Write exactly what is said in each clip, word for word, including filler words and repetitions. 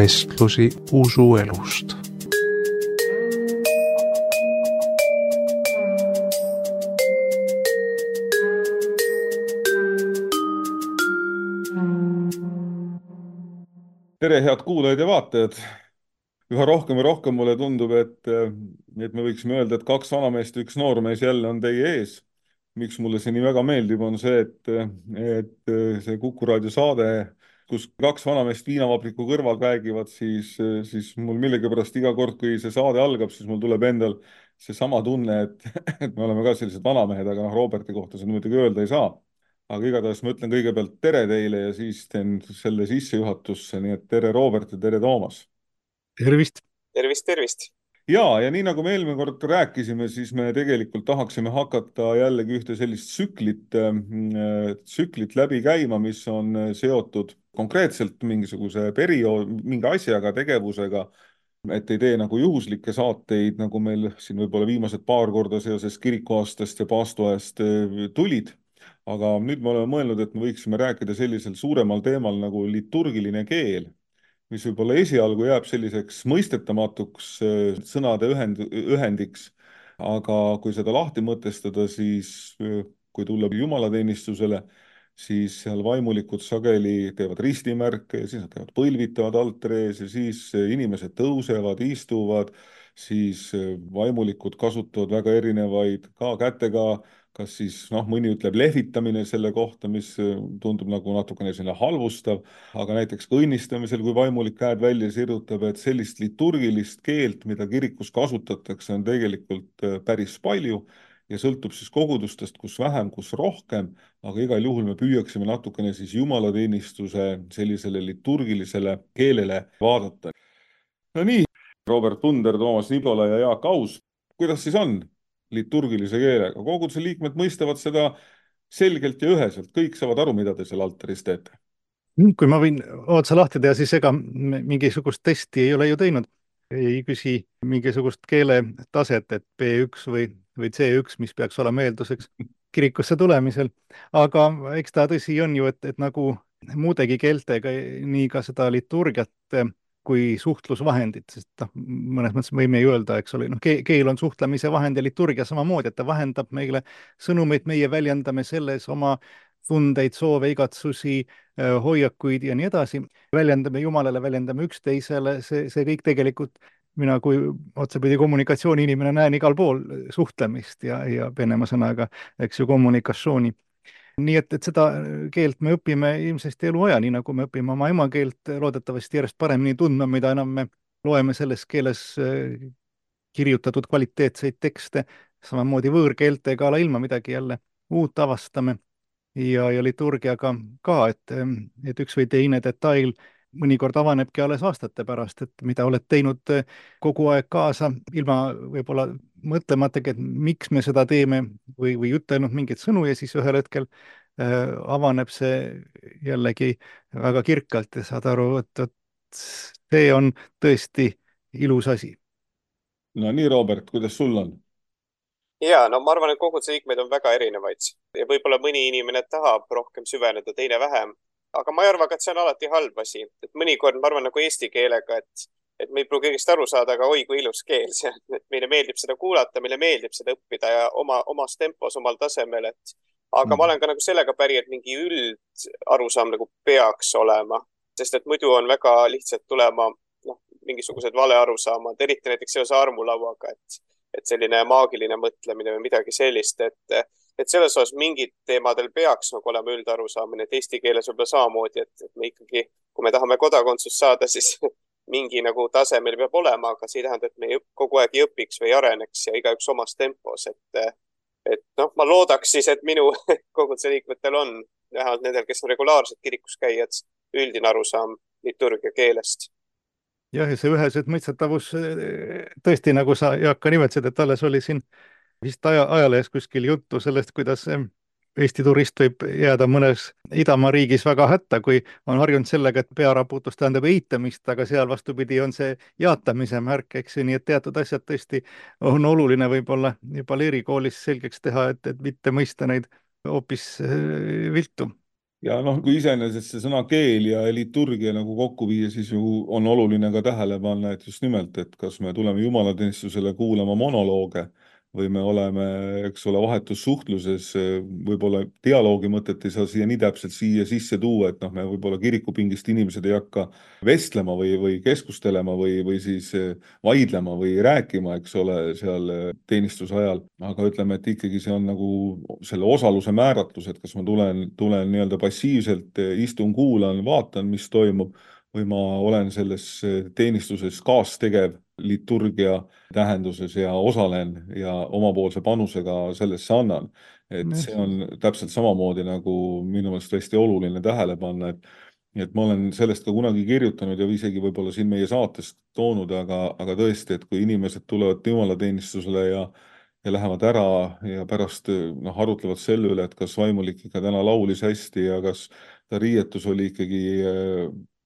vestlusi usuelust. Tere, head kuulajad ja vaatajad. Üha rohkem ja rohkem mulle tundub, et, et me võiksime öelda, et kaks vanameest ja üks noormees jälle on teie ees. Miks mulle see nii väga meeldib, on see, et, et see Kuku raadio saade, kus kaks vanameest viinavabriku kõrval räägivad, siis, siis mul millegipärast iga kord, kui see saade algab, siis mul tuleb endal seesama tunne, et, et me oleme ka sellised vanamehed, aga noh, Roberti kohta seda muidugi öelda ei saa. Aga igatahes ma ütlen kõigepealt tere teile ja siis teen selle sissejuhatusse, nii et tere Robert ja tere Toomas. Tervist! Tervist, tervist! Ja, ja nii nagu me eelmine kord rääkisime, siis me tegelikult tahaksime hakata jällegi ühte sellist tsüklit, tsüklit läbi käima, mis on seotud konkreetselt mingisuguse periood, mingi asjaga, tegevusega, et ei tee nagu juhuslikke saateid, nagu meil siin võib-olla viimased paar korda seoses kirikuaastast ja paastuajast tulid. Aga nüüd me oleme mõelnud, et me võiksime rääkida sellisel suuremal teemal nagu liturgiline keel, mis võib-olla esialgu jääb selliseks mõistetamatuks sõnade ühend, ühendiks. Aga kui seda lahti mõtestada, siis kui tulla jumalateenistusele, siis seal vaimulikud sageli teevad ristimärke ja siis nad teevad põlvitavad altrees ja siis inimesed tõusevad, istuvad, siis vaimulikud kasutavad väga erinevaid ka kätega, kas siis, noh, mõni ütleb lehvitamine selle kohta, mis tundub nagu natukene selline halvustav, aga näiteks ka õnnistamisel, kui vaimulik käed välja sirutab, et sellist liturgilist keelt, mida kirikus kasutatakse, on tegelikult päris palju ja sõltub siis kogudustest, kus vähem, kus rohkem, aga igal juhul me püüaksime natukene siis jumalateenistuse sellisele liturgilisele keelele vaadata. No nii, Robert Punder, Toomas Nibola ja Jaak Aus, kuidas siis on liturgilise keelega? Koguduse liikmed mõistavad seda selgelt ja üheselt, kõik saavad aru, mida te seal altaris teete. Kui ma võin otsa lahti teha, siis ega mingisugust testi ei ole ju teinud. Ei küsi mingisugust keeletaset, et B üks või, või C üks, mis peaks olema eelduseks kirikusse tulemisel. Aga eks ta tõsi on ju, et, et nagu muudegi keeltega, nii ka seda liturgiat kui suhtlusvahendit, sest noh, mõnes mõttes võime ju öelda, eks ole, noh, keel on suhtlemise vahend ja liturgia samamoodi, et ta vahendab meile sõnumeid, meie väljendame selles oma tundeid, soove, igatsusi, hoiakuid ja nii edasi. Väljendame Jumalale, väljendame üksteisele, see, see kõik tegelikult mina kui otsapidi kommunikatsiooni inimene näen igal pool suhtlemist ja, ja Venemaa sõnaga, eks ju, kommunikatsiooni. Nii et, et seda keelt me õpime ilmsesti eluaja, nii nagu me õpime oma emakeelt loodetavasti järjest paremini tundma, mida enam me loeme selles keeles kirjutatud kvaliteetseid tekste, samamoodi võõrkeeltega ala ilma midagi jälle uut avastame ja, ja liturgiaga ka, et, et üks või teine detail mõnikord avanebki alles aastate pärast, et mida oled teinud kogu aeg kaasa, ilma võib-olla mõtlematagi, et miks me seda teeme või, või ütelnud mingeid sõnu ja siis ühel hetkel äh, avaneb see jällegi väga kirkalt ja saad aru, et, et see on tõesti ilus asi. No nii, Robert, kuidas sul on? Ja, no ma arvan, et koguduse liikmeid on väga erinevaid ja võib-olla mõni inimene tahab rohkem süveneda, teine vähem. Aga ma ei arva, et see on alati halb asi. Et mõnikord ma arvan nagu eesti keelega, et, et me ei pruugi kõigest aru saada, aga oi kui ilus keel see on. Et meile meeldib seda kuulata, meile meeldib seda õppida ja oma, omas tempos, omal tasemel. Et, aga mm. ma olen ka nagu sellega päri, et mingi üld arusaam nagu peaks olema. Sest et muidu on väga lihtsalt tulema noh, mingisugused vale arusaamad, eriti näiteks seoses armulauaga, et, et selline maagiline mõtlemine või midagi sellist, et et selles osas mingid teemadel peaks nagu olema üldarusaamine, et eesti keeles võib-olla samamoodi, et, et me ikkagi, kui me tahame kodakondsust saada, siis mingi nagu tase meil peab olema, aga see ei tähenda, et me kogu aeg ei õpiks või areneks ja igaüks omas tempos, et, et noh, ma loodaks siis, et minu koguduse liikmetel on, vähemalt nendel, kes on regulaarselt kirikus käijad, üldine arusaam liturgia keelest. Jah, ja see üheselt mõistetavus tõesti, nagu sa, Jaak, ka nimetasid, et alles oli siin vist aja, ajalehes kuskil juttu sellest, kuidas Eesti turist võib jääda mõnes Idamaa riigis väga hätta, kui on harjunud sellega, et pearaputus tähendab eitamist, aga seal vastupidi on see jaatamise märk, eks ju, nii et teatud asjad tõesti on oluline võib-olla juba leerikoolis selgeks teha, et, et mitte mõista neid hoopis viltu. ja noh, kui iseenesest see sõna keel ja liturgia nagu kokku viia, siis ju on oluline ka tähele panna, et just nimelt, et kas me tuleme jumalateenistusele kuulama monolooge või me oleme, eks ole, vahetus suhtluses, võib-olla dialoogi mõtet ei saa siia nii täpselt siia sisse tuua, et noh, me võib-olla kirikupingist inimesed ei hakka vestlema või, või keskustelema või, või siis vaidlema või rääkima, eks ole, seal teenistuse ajal. Aga ütleme, et ikkagi see on nagu selle osaluse määratlus, et kas ma tulen, tulen nii-öelda passiivselt, istun, kuulan, vaatan, mis toimub, või ma olen selles teenistuses kaastegev liturgia tähenduses ja osalen ja omapoolse panusega sellesse annan. Et see on täpselt samamoodi nagu minu meelest hästi oluline tähele panna, et et ma olen sellest ka kunagi kirjutanud ja isegi võib-olla siin meie saatest toonud, aga, aga tõesti, et kui inimesed tulevad jumalateenistusele ja ja lähevad ära ja pärast noh, arutlevad selle üle, et kas vaimulik ikka täna laulis hästi ja kas ta riietus oli ikkagi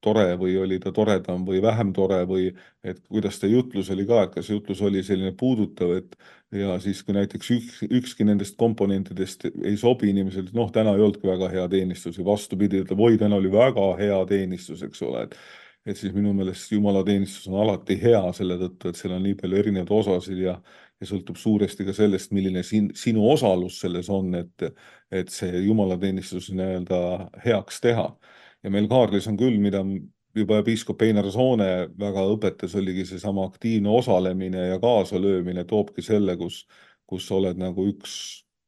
tore või oli ta toredam või vähem tore või et kuidas ta jutlus oli ka, et kas jutlus oli selline puudutav, et ja siis kui näiteks üks, ükski nendest komponentidest ei sobi inimesele, noh, täna ei olnudki väga hea teenistus ja vastupidi, ütleb, oi, täna oli väga hea teenistus, eks ole, et et siis minu meelest jumalateenistus on alati hea selle tõttu, et seal on nii palju erinevaid osasid ja ja sõltub suuresti ka sellest, milline sin, sinu osalus selles on, et, et see jumalateenistus nii-öelda heaks teha. Ja meil Kaarlis on küll, mida juba piiskop Einar Soone väga õpetas, oligi see sama aktiivne osalemine ja kaasalöömine toobki selle, kus, kus oled nagu üks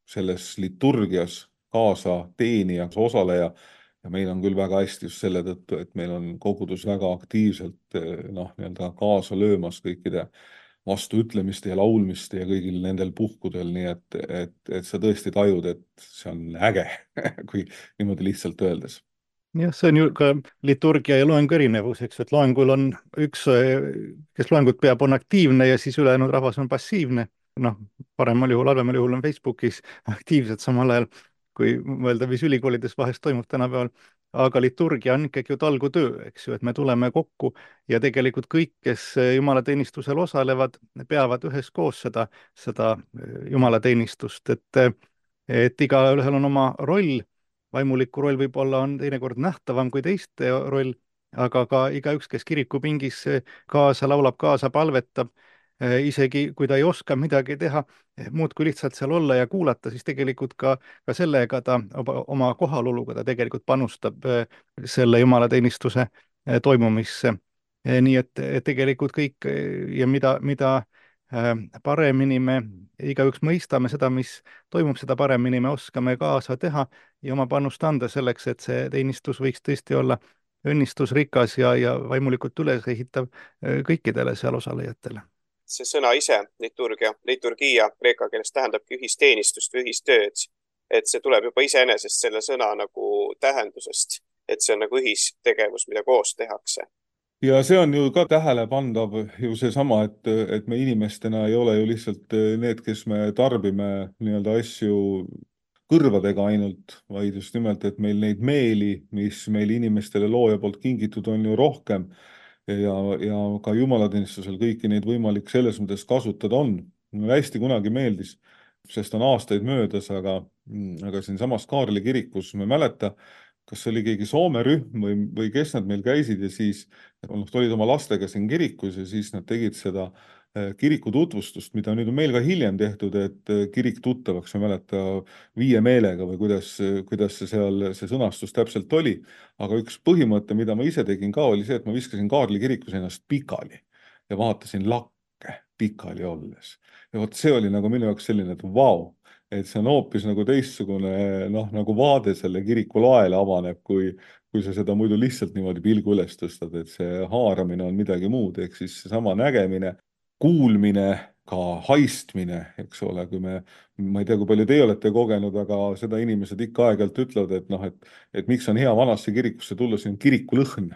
selles liturgias kaasa teenijaks, osaleja. Ja meil on küll väga hästi just selle tõttu, et meil on kogudus väga aktiivselt noh, nii-öelda kaasa löömas kõikide vastuütlemiste ja laulmiste ja kõigil nendel puhkudel, nii et, et, et sa tõesti tajud, et see on äge, kui niimoodi lihtsalt öeldes. Jah, see on ju ka liturgia ja loengu erinevus, eks, et loengul on üks, kes loengut peab, on aktiivne ja siis ülejäänud rahvas on passiivne. Noh, paremal juhul, halvemal juhul on Facebookis aktiivsed samal ajal, kui mõelda, mis ülikoolides vahest toimub tänapäeval. Aga liturgia on ikkagi ju talgutöö, eks ju, et me tuleme kokku ja tegelikult kõik, kes jumalateenistusel osalevad, peavad üheskoos seda, seda jumalateenistust, et, et igaühel on oma roll. Vaimuliku roll võib-olla on teinekord nähtavam kui teiste roll, aga ka igaüks, kes kirikupingis kaasa laulab, kaasa palvetab, isegi kui ta ei oska midagi teha, muud kui lihtsalt seal olla ja kuulata, siis tegelikult ka, ka sellega ta oma kohaloluga ta tegelikult panustab selle jumalateenistuse toimumisse. Nii et, et tegelikult kõik ja mida, mida paremini me igaüks mõistame seda, mis toimub, seda paremini me oskame kaasa teha ja oma panust anda selleks, et see teenistus võiks tõesti olla õnnistusrikas ja, ja vaimulikult ülesehitav kõikidele seal osalejatele. See sõna ise, liturgia, liturgia kreeka keeles tähendabki ühisteenistust või ühistööd, et see tuleb juba iseenesest selle sõna nagu tähendusest, et see on nagu ühistegevus, mida koos tehakse. Ja see on ju ka tähelepandav ju seesama, et, et me inimestena ei ole ju lihtsalt need, kes me tarbime nii-öelda asju kõrvadega ainult, vaid just nimelt, et meil neid meeli, mis meil inimestele looja poolt kingitud on ju rohkem ja, ja ka jumalateenistusel kõiki neid võimalik selles mõttes kasutada on. Mulle hästi kunagi meeldis, sest on aastaid möödas, aga, aga siin samas Kaarli kirikus me mäleta, kas oli keegi Soome rühm või, või kes nad meil käisid ja siis noh, olid oma lastega siin kirikus ja siis nad tegid seda kiriku tutvustust, mida nüüd on meil ka hiljem tehtud, et kirik tuttavaks, ma mäleta, viie meelega või kuidas, kuidas see seal see sõnastus täpselt oli. Aga üks põhimõte, mida ma ise tegin ka, oli see, et ma viskasin Kaarli kirikus ennast pikali ja vaatasin lakke pikali olles. Ja vot see oli nagu minu jaoks selline, et vau, et see on hoopis nagu teistsugune noh, nagu vaade selle kiriku laele avaneb, kui, kui sa seda muidu lihtsalt niimoodi pilgu üles tõstad, et see haaramine on midagi muud, ehk siis sama nägemine, kuulmine, ka haistmine, eks ole, kui me, ma ei tea, kui palju teie olete kogenud, aga seda inimesed ikka aeg-ajalt ütlevad, et noh, et, et miks on hea vanasse kirikusse tulla, siin on kirikulõhn.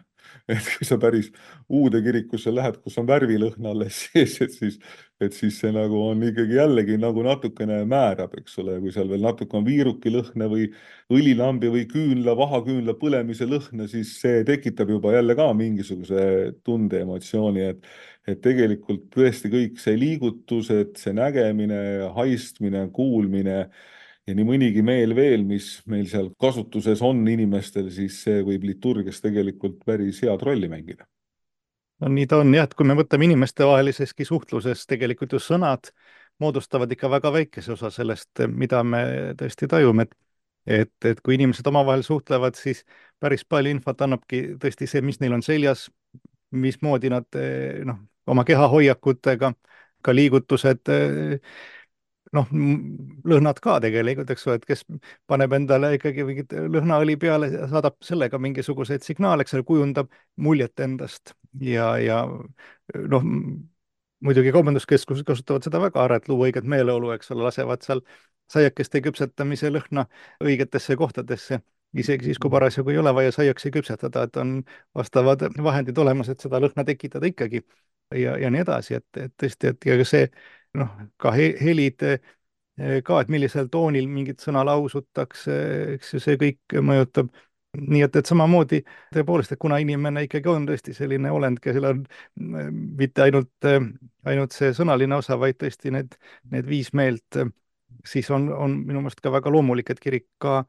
Et kui sa päris uude kirikusse lähed, kus on värvilõhn alles sees, et siis, et siis see nagu on ikkagi jällegi nagu natukene määrab, eks ole, kui seal veel natuke on viiruki lõhne või õlilambi või küünla, vahaküünla põlemise lõhne, siis see tekitab juba jälle ka mingisuguse tunde emotsiooni, et, et tegelikult tõesti kõik see liigutused, see nägemine, haistmine, kuulmine ja nii mõnigi meel veel, mis meil seal kasutuses on inimestel, siis see võib liturgias tegelikult päris head rolli mängida. No nii ta on jah, et kui me võtame inimestevaheliseski suhtluses, tegelikult ju sõnad moodustavad ikka väga väikese osa sellest, mida me tõesti tajume, et et, et kui inimesed omavahel suhtlevad, siis päris palju infot annabki tõesti see, mis neil on seljas, mismoodi nad noh, oma kehahoiakutega, ka liigutused, noh, lõhnad ka tegelikult, eks ole, et kes paneb endale ikkagi mingit lõhnaõli peale, saadab sellega mingisuguseid signaale, eks ole, kujundab muljet endast ja, ja noh, muidugi kaubanduskeskused kasutavad seda väga ära, et luua õiget meeleolu, eks ole, lasevad seal saiakeste küpsetamise lõhna õigetesse kohtadesse, isegi siis, kui parasjagu ei ole vaja saiaksi küpsetada, et on vastavad vahendid olemas, et seda lõhna tekitada ikkagi ja, ja nii edasi, et, et tõesti, et ja see noh, ka he, helid ka, et millisel toonil mingit sõna lausutakse, eks ju, see kõik mõjutab. Nii et, et samamoodi tõepoolest, et kuna inimene ikkagi on tõesti selline olend, kellel on mitte ainult, ainult see sõnaline osa, vaid tõesti need, need viis meelt, siis on, on minu meelest ka väga loomulik, et kirik ka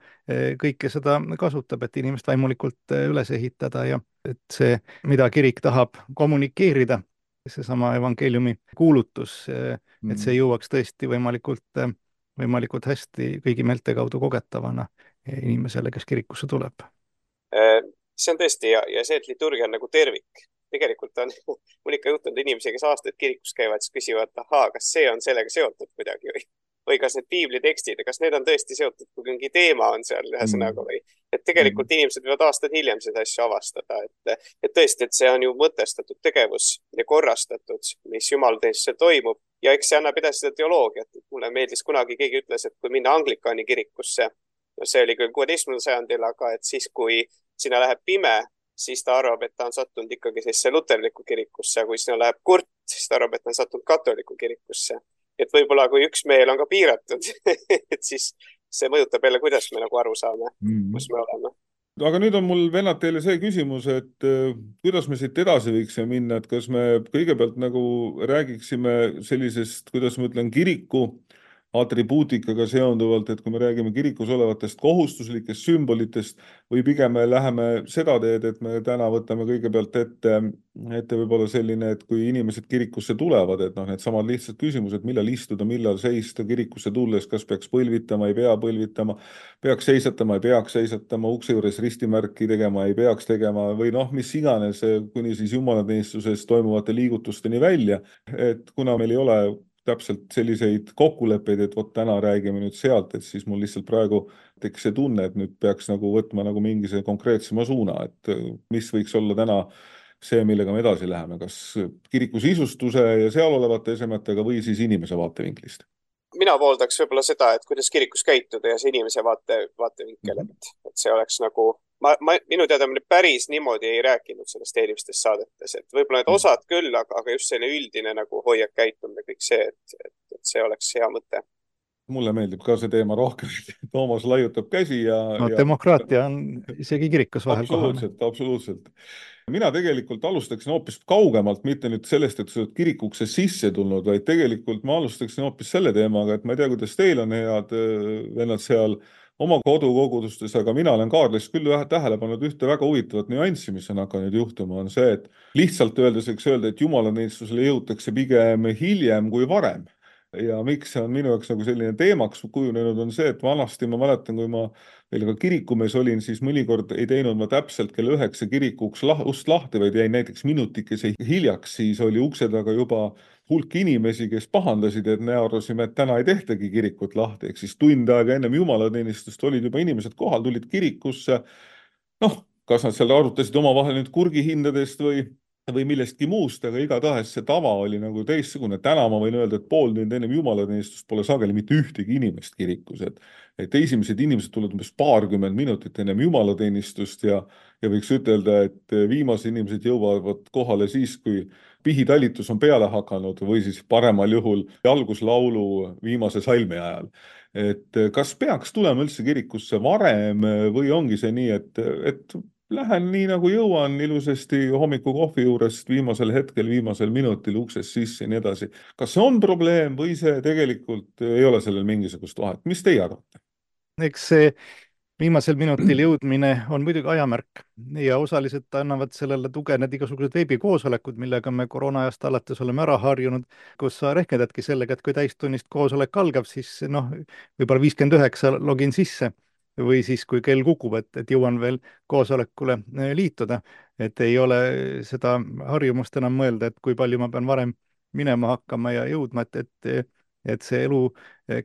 kõike seda kasutab, et inimest vaimulikult üles ehitada ja et see, mida kirik tahab kommunikeerida, seesama evangeeliumi kuulutus, et see jõuaks tõesti võimalikult, võimalikult hästi kõigi meelte kaudu kogetavana inimesele, kes kirikusse tuleb. See on tõesti ja, ja see, et liturgia on nagu tervik. Tegelikult on mul ikka juhtunud inimesi, kes aastaid kirikus käivad, siis küsivad, ahaa, kas see on sellega seotud kuidagi või, või kas need piiblitekstid, kas need on tõesti seotud, kui mingi teema on seal ühe sõnaga või. Et tegelikult mm. inimesed võivad aastad hiljem seda asju avastada, et, et tõesti, et see on ju mõtestatud tegevus ja korrastatud, mis jumalateenistusel toimub ja eks see annab edasi seda teoloogiat. Mulle meeldis kunagi keegi ütles, et kui minna Anglikaani kirikusse, no see oli küll kuueteistkümnendal sajandil, aga et siis, kui sinna läheb pime, siis ta arvab, et ta on sattunud ikkagi sellesse luterlikku kirikusse, kui sinna läheb kurt, siis ta arvab, et ta on sattunud katoliku kirikusse. Et võib-olla kui üks meel on ka piiratud, et siis see mõjutab jälle, kuidas me nagu aru saame, mm. kus me oleme. Aga nüüd on mul vennad teile see küsimus, et kuidas me siit edasi võiksime minna, et kas me kõigepealt nagu räägiksime sellisest, kuidas ma ütlen, kiriku atribuutikaga seonduvalt, et kui me räägime kirikus olevatest kohustuslikest sümbolitest või pigem me läheme seda teed, et me täna võtame kõigepealt ette, ette võib-olla selline, et kui inimesed kirikusse tulevad, et noh, need samad lihtsad küsimused, millal istuda, millal seista kirikusse tulles, kas peaks põlvitama, ei pea põlvitama, peaks seisatama, ei peaks seisatama, ukse juures ristimärki tegema, ei peaks tegema või noh, mis iganes, kuni siis jumalateenistuses toimuvate liigutusteni välja, et kuna meil ei ole täpselt selliseid kokkuleppeid, et vot täna räägime nüüd sealt, et siis mul lihtsalt praegu tekkis see tunne, et nüüd peaks nagu võtma nagu mingi see konkreetsema suuna, et mis võiks olla täna see, millega me edasi läheme, kas kiriku sisustuse ja seal olevate esemetega või siis inimese vaatevinklist? Mina pooldaks võib-olla seda, et kuidas kirikus käituda ja see inimese vaate, vaatevinkel, mm -hmm. et, et see oleks nagu Ma, ma, minu teada me päris niimoodi ei rääkinud sellest eelmistes saadetes, et võib-olla need osad küll, aga, aga just selline üldine nagu hoiak käitumine, kõik see, et, et, et see oleks hea mõte. Mulle meeldib ka see teema rohkem, Toomas laiutab käsi ja... No ja... demokraatia on isegi kirikus vahel absoluutselt, kohane. Absoluutselt. Mina tegelikult alustaksin hoopis kaugemalt, mitte nüüd sellest, et sa oled kirikusse sisse tulnud, vaid tegelikult ma alustaksin hoopis selle teemaga, et ma ei tea, kuidas teil on head vennad seal oma kodukogudustes, aga mina olen Kaarlis küll tähele pannud ühte väga huvitavat nüanssi, mis on hakanud juhtuma, on see, et lihtsalt öeldes võiks öelda, et jumalateenistusele jõutakse pigem hiljem kui varem. Ja miks see on minu jaoks nagu selline teemaks kujunenud on see, et vanasti ma mäletan, kui ma veel ka kirikumees olin, siis mõnikord ei teinud ma täpselt kella üheksa kirikuks ust lahti, vaid jäin näiteks minutikese hiljaks, siis oli ukse taga juba hulk inimesi, kes pahandasid, et me arvasime, et täna ei tehtagi kirikut lahti, ehk siis tund aega ennem jumalateenistust olid juba inimesed kohal, tulid kirikusse, noh, kas nad seal arutasid omavahel nüüd kurgihindadest või või millestki muust, aga igatahes see tava oli nagu teistsugune. Täna ma võin öelda, et pool tund ennem jumalateenistust pole sageli mitte ühtegi inimest kirikus, et, et esimesed inimesed tulevad umbes paarkümmend minutit ennem jumalateenistust ja, ja võiks ütelda, et viimased inimesed jõuavad kohale siis, kui pihitalitus on peale hakanud või siis paremal juhul alguslaulu viimase salmi ajal. Et kas peaks tulema üldse kirikusse varem või ongi see nii, et, et lähen nii nagu jõuan ilusasti hommikukohvi juurest viimasel hetkel, viimasel minutil uksest sisse ja nii edasi. Kas see on probleem või see tegelikult ei ole sellel mingisugust vahet? Mis teie arvate? Eks see viimasel minutil jõudmine on muidugi ajamärk ja osaliselt annavad sellele tuge need igasugused veebikoosolekud, millega me koroona-ajast alates oleme ära harjunud, kus sa rehkendadki sellega, et kui täistunnist koosolek algab, siis noh, võib-olla viiskümmend üheksa login sisse või siis kui kell kukub, et, et jõuan veel koosolekule liituda, et ei ole seda harjumust enam mõelda, et kui palju ma pean varem minema hakkama ja jõudma, et, et, et see elu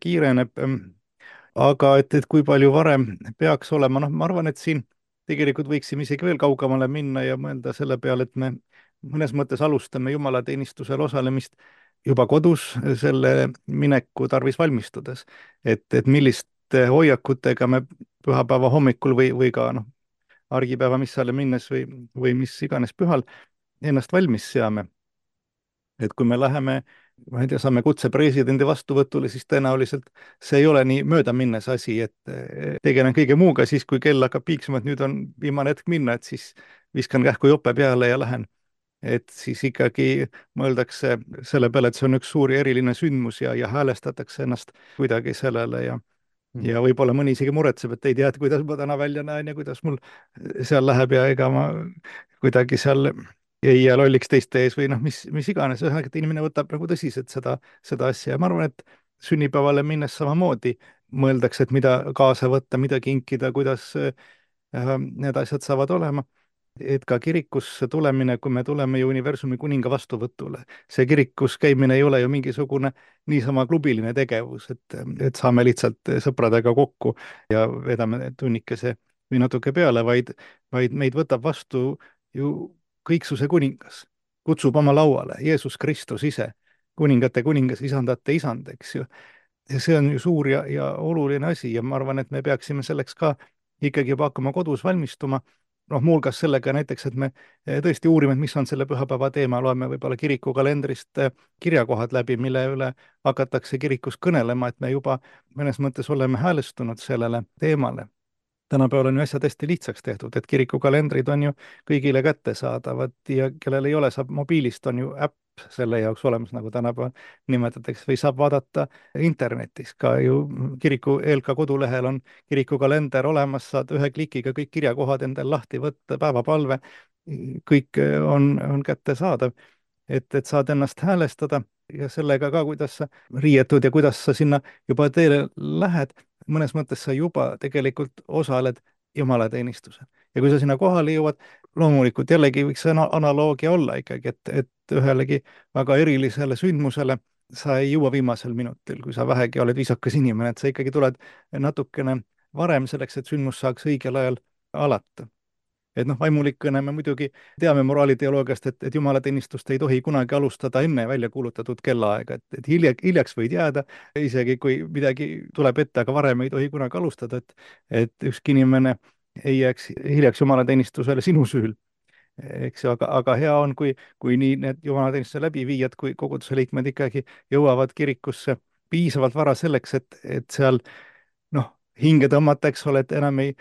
kiireneb. Aga et, et kui palju varem peaks olema, noh, ma arvan, et siin tegelikult võiksime isegi veel kaugemale minna ja mõelda selle peale, et me mõnes mõttes alustame jumalateenistusel osalemist juba kodus selle mineku tarvis valmistudes. Et, et milliste hoiakutega me pühapäeva hommikul või, või ka noh, argipäeva missale minnes või, või mis iganes pühal ennast valmis seame. Et kui me läheme, ma ei tea, saame kutse presidendi vastuvõtule, siis tõenäoliselt see ei ole nii möödaminnes asi, et tegelen kõige muuga siis, kui kell hakkab piiksuma, et nüüd on viimane hetk minna, et siis viskan kähku jope peale ja lähen. Et siis ikkagi mõeldakse selle peale, et see on üks suur ja eriline sündmus ja, ja häälestatakse ennast kuidagi sellele ja ja võib-olla mõni isegi muretseb, et ei tea, et kuidas ma täna välja näen ja kuidas mul seal läheb ja ega ma kuidagi seal ei jää lolliks teiste ees või noh, mis, mis iganes, ühesõnaga, et inimene võtab nagu tõsiselt seda, seda asja ja ma arvan, et sünnipäevale minnes samamoodi mõeldakse, et mida kaasa võtta, mida kinkida, kuidas äh, need asjad saavad olema. Et ka kirikusse tulemine, kui me tuleme ju universumi kuninga vastuvõtule, see kirikus käimine ei ole ju mingisugune niisama klubiline tegevus, et, et saame lihtsalt sõpradega kokku ja vedame tunnikese või natuke peale, vaid, vaid meid võtab vastu ju kõiksuse kuningas, kutsub oma lauale Jeesus Kristus ise, kuningate kuningas, isandate isand, eks ju. Ja see on ju suur ja, ja oluline asi ja ma arvan, et me peaksime selleks ka ikkagi juba hakkama kodus valmistuma. Noh, muuhulgas sellega näiteks, et me tõesti uurime, et mis on selle pühapäeva teema, loeme võib-olla kirikukalendrist kirjakohad läbi, mille üle hakatakse kirikus kõnelema, et me juba mõnes mõttes oleme häälestunud sellele teemale. Tänapäeval on ju asjad hästi lihtsaks tehtud, et kirikukalendrid on ju kõigile kättesaadavad ja kellel ei ole, saab mobiilist, on ju äpp selle jaoks olemas, nagu tänapäeval nimetatakse, või saab vaadata internetis, ka ju kiriku E L K kodulehel on kirikukalender olemas, saad ühe klikiga kõik kirjakohad endal lahti võtta, päevapalve, kõik on, on kättesaadav, et, et saad ennast häälestada ja sellega ka, kuidas sa riietud ja kuidas sa sinna juba teele lähed, mõnes mõttes sa juba tegelikult osaled jumalateenistusel. Ja kui sa sinna kohale jõuad, loomulikult jällegi võiks analoogia olla ikkagi, et, et ühelegi väga erilisele sündmusele sa ei jõua viimasel minutil, kui sa vähegi oled viisakas inimene, et sa ikkagi tuled natukene varem selleks, et sündmus saaks õigel ajal alata. Et noh, vaimulikkõne me muidugi teame moraaliteoloogiast, et, et jumalateenistust ei tohi kunagi alustada enne välja kuulutatud kellaaega, et, et hilja, hiljaks võid jääda, isegi kui midagi tuleb ette, aga varem ei tohi kunagi alustada, et, et ükski inimene ei jääks hiljaks jumalateenistusele sinu süül. Eks ju, aga, aga hea on, kui, kui nii need jumalateenistuse läbiviijad, kui koguduse liikmed ikkagi jõuavad kirikusse piisavalt vara selleks, et, et seal noh, hinge tõmmata, eks ole, et enam ei,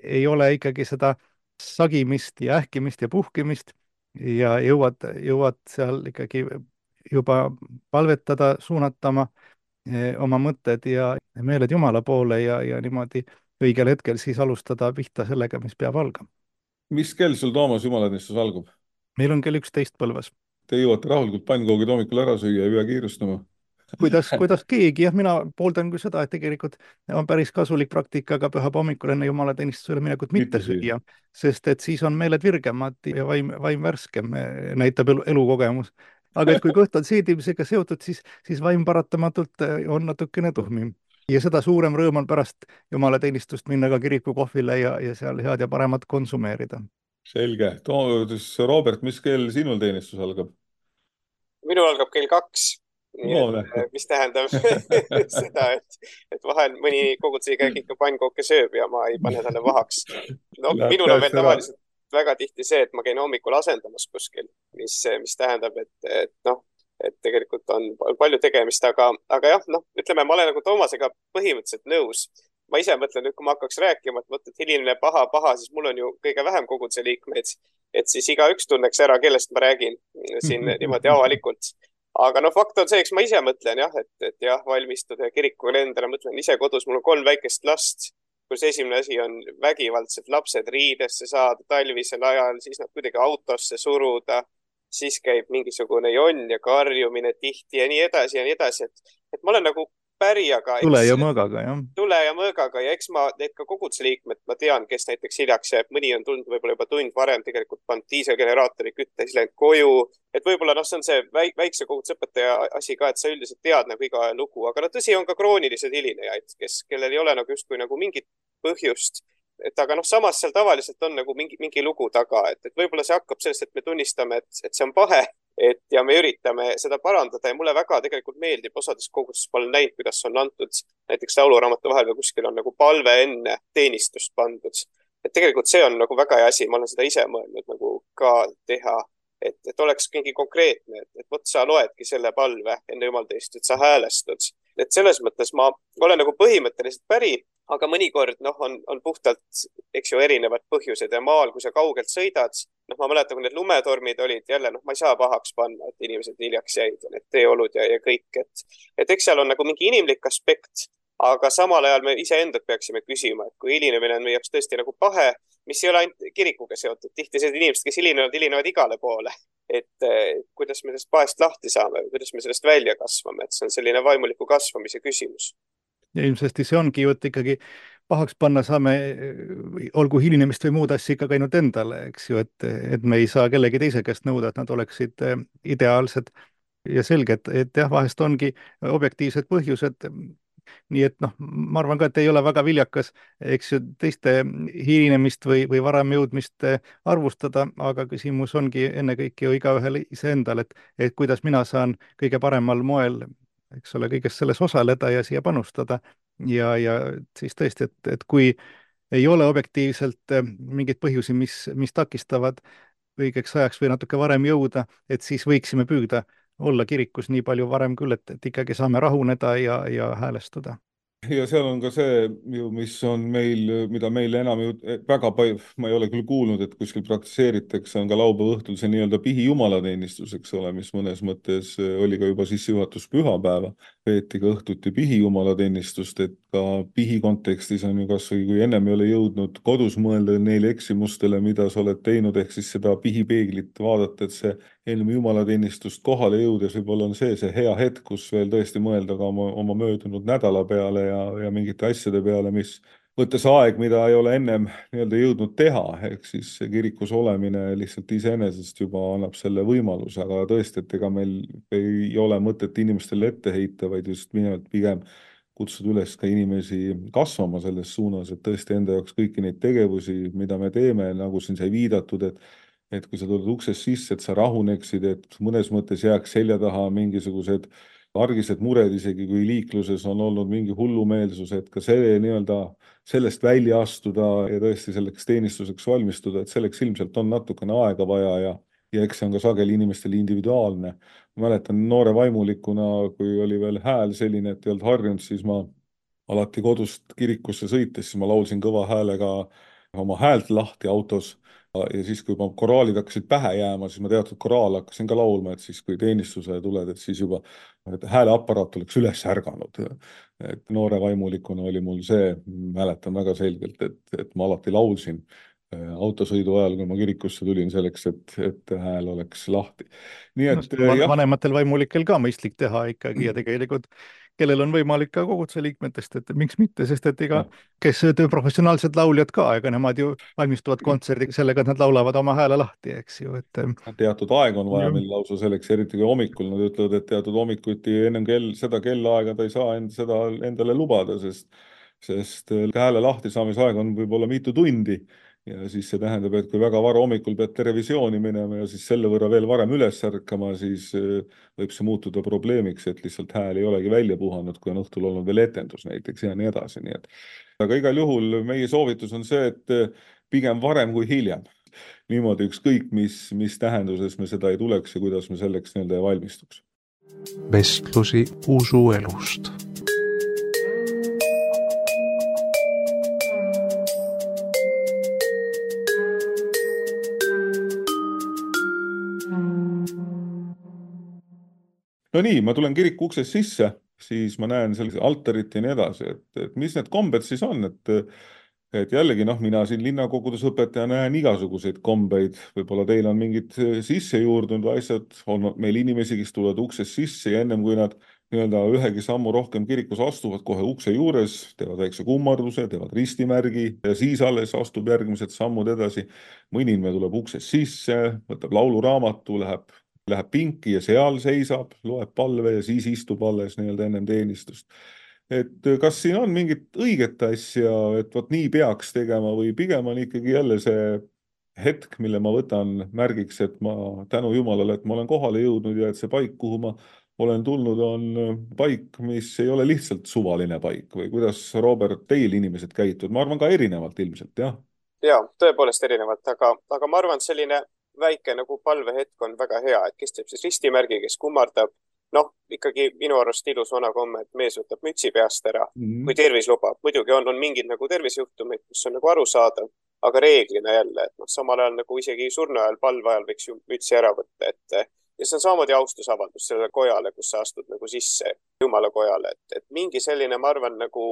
ei ole ikkagi seda sagimist ja ähkimist ja puhkimist ja jõuad, jõuad seal ikkagi juba palvetada, suunatama oma mõtted ja meeled Jumala poole ja, ja niimoodi õigel hetkel siis alustada pihta sellega, mis peab algama. Mis kell sul, Toomas, jumalateenistus algab? Meil on kell üksteist Põlvas. Te jõuate rahulikult pannkoogid hommikul ära süüa ja ei pea kiirustama? kuidas, kuidas keegi, jah, mina pooldan küll seda, et tegelikult on päris kasulik praktika ka pühapa hommikul enne jumalateenistusele minekut mitte süüa, sest et siis on meeled virgemad ja vaim, vaim värskem, näitab elu, elukogemus. Aga et kui kõht on seedimisega seotud, siis, siis vaim paratamatult on natukene tuhmim. Ja seda suurem rõõm on pärast jumalateenistust minna ka kiriku kohvile ja, ja seal head ja paremat konsumeerida. Selge. Robert, mis kell sinul teenistus algab? Minul algab kell kaks. No, et, mis tähendab seda, et, et vahel mõni koguduse liige ikka pannkooke sööb ja ma ei pane talle vahaks. No, minul on veel tavaliselt väga tihti see, et ma käin hommikul asendamas kuskil, mis, mis tähendab, et, et noh, et tegelikult on palju tegemist, aga, aga jah, noh, ütleme, ma olen nagu Toomasega põhimõtteliselt nõus, ma ise mõtlen, et kui ma hakkaks rääkima, et mõtled hilinemine paha, paha, siis mul on ju kõige vähem koguduse liikmeid, et siis igaüks tunneks ära, kellest ma räägin siin niimoodi avalikult. Aga no fakt on see, eks ma ise mõtlen jah, et, et jah, valmistuda ja kirikule endale mõtlen ise kodus, mul on kolm väikest last, kus esimene asi on vägivaldselt lapsed riidesse saada talvisel ajal, siis nad kuidagi autosse suruda, siis käib mingisugune jonn ja karjumine tihti ja nii edasi ja nii edasi, et, et ma olen nagu päri, aga tule ja mõõgaga, jah. Tule ja mõõgaga ja eks ma need ka koguduse liikmed, ma tean, kes näiteks hiljaks jääb, mõni on tulnud võib-olla juba tund varem tegelikult pannud diiselgeneraatori kütte, siis läinud koju, et võib-olla noh, see on see väikse kogudusõpetaja asi ka, et sa üldiselt tead nagu iga lugu, aga no tõsi on ka kroonilised hilinejaid, kes, kellel ei ole nagu justkui nagu mingit põhjust, et aga noh, samas seal tavaliselt on nagu mingi, mingi lugu taga, et, et võib-olla see hakkab sellest, et me tunnistame, et, et see on pahe, et ja me üritame seda parandada ja mulle väga tegelikult meeldib osades kogudustes, ma olen näinud, kuidas on antud näiteks lauluraamatu vahel või kuskil on nagu palve enne teenistust pandud. Et tegelikult see on nagu väga hea asi, ma olen seda ise mõelnud nagu ka teha, et, et oleks mingi konkreetne, et, et võt sa loedki selle palve enne jumalteenistust, et sa häälestud. Et selles mõttes ma olen nagu põhimõtteliselt päri, aga mõnikord noh, on, on puhtalt, eks ju, erinevad põhjused ja maal, kui sa kaugelt sõidad, noh, ma mäletan, kui need lumetormid olid, jälle, noh, ma ei saa pahaks panna, et inimesed hiljaks jäid ja need teeolud ja, ja kõik, et, et eks seal on nagu mingi inimlik aspekt, aga samal ajal me iseendad peaksime küsima, et kui hilinemine on meie jaoks tõesti nagu pahe, mis ei ole ainult kirikuga seotud, tihti sellised inimesed, kes hilinevad, hilinevad igale poole, et kuidas me sellest pahest lahti saame või kuidas me sellest välja kasvame, et see on selline vaimuliku kasvamise küsimus. Ja ilmsesti see ongi ju, et ikkagi pahaks panna saame, olgu hilinemist või muud asja ikka ainult endale, eks ju, et, et me ei saa kellegi teise käest nõuda, et nad oleksid ideaalsed ja selge, et, et jah, vahest ongi objektiivsed põhjused. Nii et noh, ma arvan ka, et ei ole väga viljakas, eks ju, teiste hilinemist või, või varem jõudmist arvustada, aga küsimus ongi ennekõike ju igaühel iseendal, et, et kuidas mina saan kõige paremal moel, eks ole, kõigest selles osaleda ja siia panustada ja, ja siis tõesti, et, et kui ei ole objektiivselt mingeid põhjusi, mis, mis takistavad õigeks ajaks või natuke varem jõuda, et siis võiksime püüda olla kirikus nii palju varem küll, et, et ikkagi saame rahuneda ja, ja häälestuda. Ja seal on ka see, mis on meil, mida meil enam ju väga palju, ma ei ole küll kuulnud, et kuskil praktiseeritakse, on ka laupäeva õhtul see nii-öelda pihi jumalateenistus, eks ole, mis mõnes mõttes oli ka juba sissejuhatus pühapäeva, peeti ka õhtuti pihi jumalateenistust, et ka pihi kontekstis on ju kas või kui ennem ei ole jõudnud kodus mõelda neile eksimustele, mida sa oled teinud, ehk siis seda pihipeeglit vaadata, et see enne jumalateenistust kohale jõudes võib-olla on see, see hea hetk, kus veel tõesti mõelda ka oma, oma möödunud nädala peale ja, ja mingite asjade peale, mis võttes aeg, mida ei ole ennem nii-öelda jõudnud teha, ehk siis kirikus olemine lihtsalt iseenesest juba annab selle võimaluse, aga tõesti, et ega meil ei ole mõtet inimestele ette heita, vaid just minevalt pigem kutsuda üles ka inimesi kasvama selles suunas, et tõesti enda jaoks kõiki neid tegevusi, mida me teeme, nagu siin sai viidatud, et et kui sa tuled uksest sisse, et sa rahuneksid, et mõnes mõttes jääks selja taha mingisugused argised mured, isegi kui liikluses on olnud mingi hullumeelsus, et ka see nii-öelda sellest välja astuda ja tõesti selleks teenistuseks valmistuda, et selleks ilmselt on natukene aega vaja ja, ja eks see on ka sageli inimestele individuaalne. Ma mäletan noore vaimulikuna, kui oli veel hääl selline, et ei olnud harjunud, siis ma alati kodust kirikusse sõites, siis ma laulsin kõva häälega oma häält lahti autos. Ja siis, kui ma koraalid hakkasid pähe jääma, siis ma teatud koraal hakkasin ka laulma, et siis, kui teenistuse tuled, et siis juba et hääleaparaat oleks üles ärganud. Et noore vaimulikuna oli mul see, mäletan väga selgelt, et, et ma alati laulsin autosõidu ajal, kui ma kirikusse tulin selleks, et, et hääl oleks lahti. Nii et, no, vanematel vaimulikel ka mõistlik teha ikkagi ja tegelikult kellel on võimalik ka koguduse liikmetest, et miks mitte, sest et ega, kes professionaalsed lauljad ka, ega nemad ju valmistuvad kontserdiga sellega, et nad laulavad oma hääle lahti, eks ju. Et... teatud aeg on vaja meil lausa selleks, eriti kui hommikul nad ütlevad, et teatud hommikuti ennem kell, seda kellaaega ta ei saa end, seda endale lubada, sest, sest hääle lahti saamise aeg on võib-olla mitu tundi. Ja siis see tähendab, et kui väga vara hommikul pead televisiooni minema ja siis selle võrra veel varem üles ärkama, siis võib see muutuda probleemiks, et lihtsalt hääl ei olegi välja puhanud, kui on õhtul olnud veel etendus näiteks ja nii edasi. Nii et. Aga igal juhul meie soovitus on see, et pigem varem kui hiljem. Niimoodi ükskõik, mis, mis tähenduses me seda ei tuleks ja kuidas me selleks nii-öelda valmistuks. Vestlusi usuelust. no nii, ma tulen kiriku uksest sisse, siis ma näen sellise altarit ja nii edasi, et, et mis need kombed siis on, et et jällegi, noh, mina siin linnakogudus õpetaja näen igasuguseid kombeid, võib-olla teil on mingid sisse juurdunud asjad, on meil inimesi, kes tulevad uksest sisse ja ennem kui nad nii-öelda ühegi sammu rohkem kirikus astuvad kohe ukse juures, teevad väikse kummarduse, teevad ristimärgi ja siis alles astub järgmised sammud edasi. Mõni inimene tuleb uksest sisse, võtab lauluraamatu, läheb, läheb pinki ja seal seisab, loeb palve ja siis istub alles nii-öelda ennem teenistust. Et kas siin on mingit õiget asja, et vot nii peaks tegema või pigem on ikkagi jälle see hetk, mille ma võtan märgiks, et ma tänu Jumalale, et ma olen kohale jõudnud ja et see paik, kuhu ma olen tulnud, on paik, mis ei ole lihtsalt suvaline paik või kuidas, Robert, teil inimesed käitud? Ma arvan ka erinevalt ilmselt, jah? Ja, tõepoolest erinevalt, aga, aga ma arvan, et selline väike nagu palvehetk on väga hea, et kes teeb siis ristimärgi, kes kummardab. Noh, ikkagi minu arust ilus vana komme, et mees võtab mütsi peast ära, mm. kui tervis lubab. Muidugi on, on mingid nagu tervisejuhtumid, kus on nagu aru saada, aga reeglina jälle, et noh, samal ajal nagu isegi surnu ajal, palve ajal võiks ju mütsi ära võtta, et ja see on samamoodi austusavaldus sellele kojale, kus sa astud nagu sisse Jumala kojale, et, et mingi selline, ma arvan, nagu,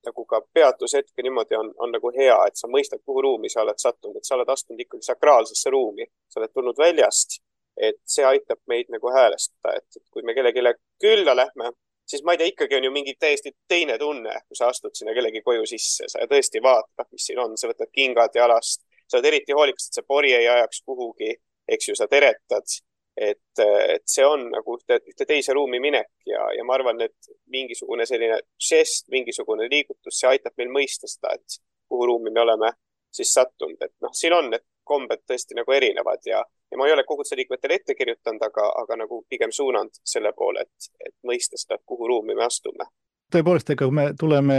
nagu ka peatushetke niimoodi on, on nagu hea, et sa mõistad, kuhu ruumi sa oled sattunud, et sa oled astunud ikkagi sakraalsesse ruumi, sa oled tulnud väljast. Et see aitab meid nagu häälestada, et kui me kellegi külla lähme, siis ma ei tea, ikkagi on ju mingi täiesti teine tunne, kui sa astud sinna kellegi koju sisse, sa tõesti vaatad, mis siin on, sa võtad kingad jalast, sa oled eriti hoolikas, et see pori ei ajaks kuhugi, eks ju, sa teretad, et, et see on nagu ühte, ühte teise ruumi minek ja, ja ma arvan, et mingisugune selline žest, mingisugune liigutus, see aitab meil mõista seda, et kuhu ruumi me oleme siis sattunud, et noh, siin on, et kombed tõesti nagu erinevad ja, ja ma ei ole koguduse liikmetele ette kirjutanud, aga, aga nagu pigem suunanud selle poole, et, et mõista seda, kuhu ruumi me astume. Tõepoolest, ega kui me tuleme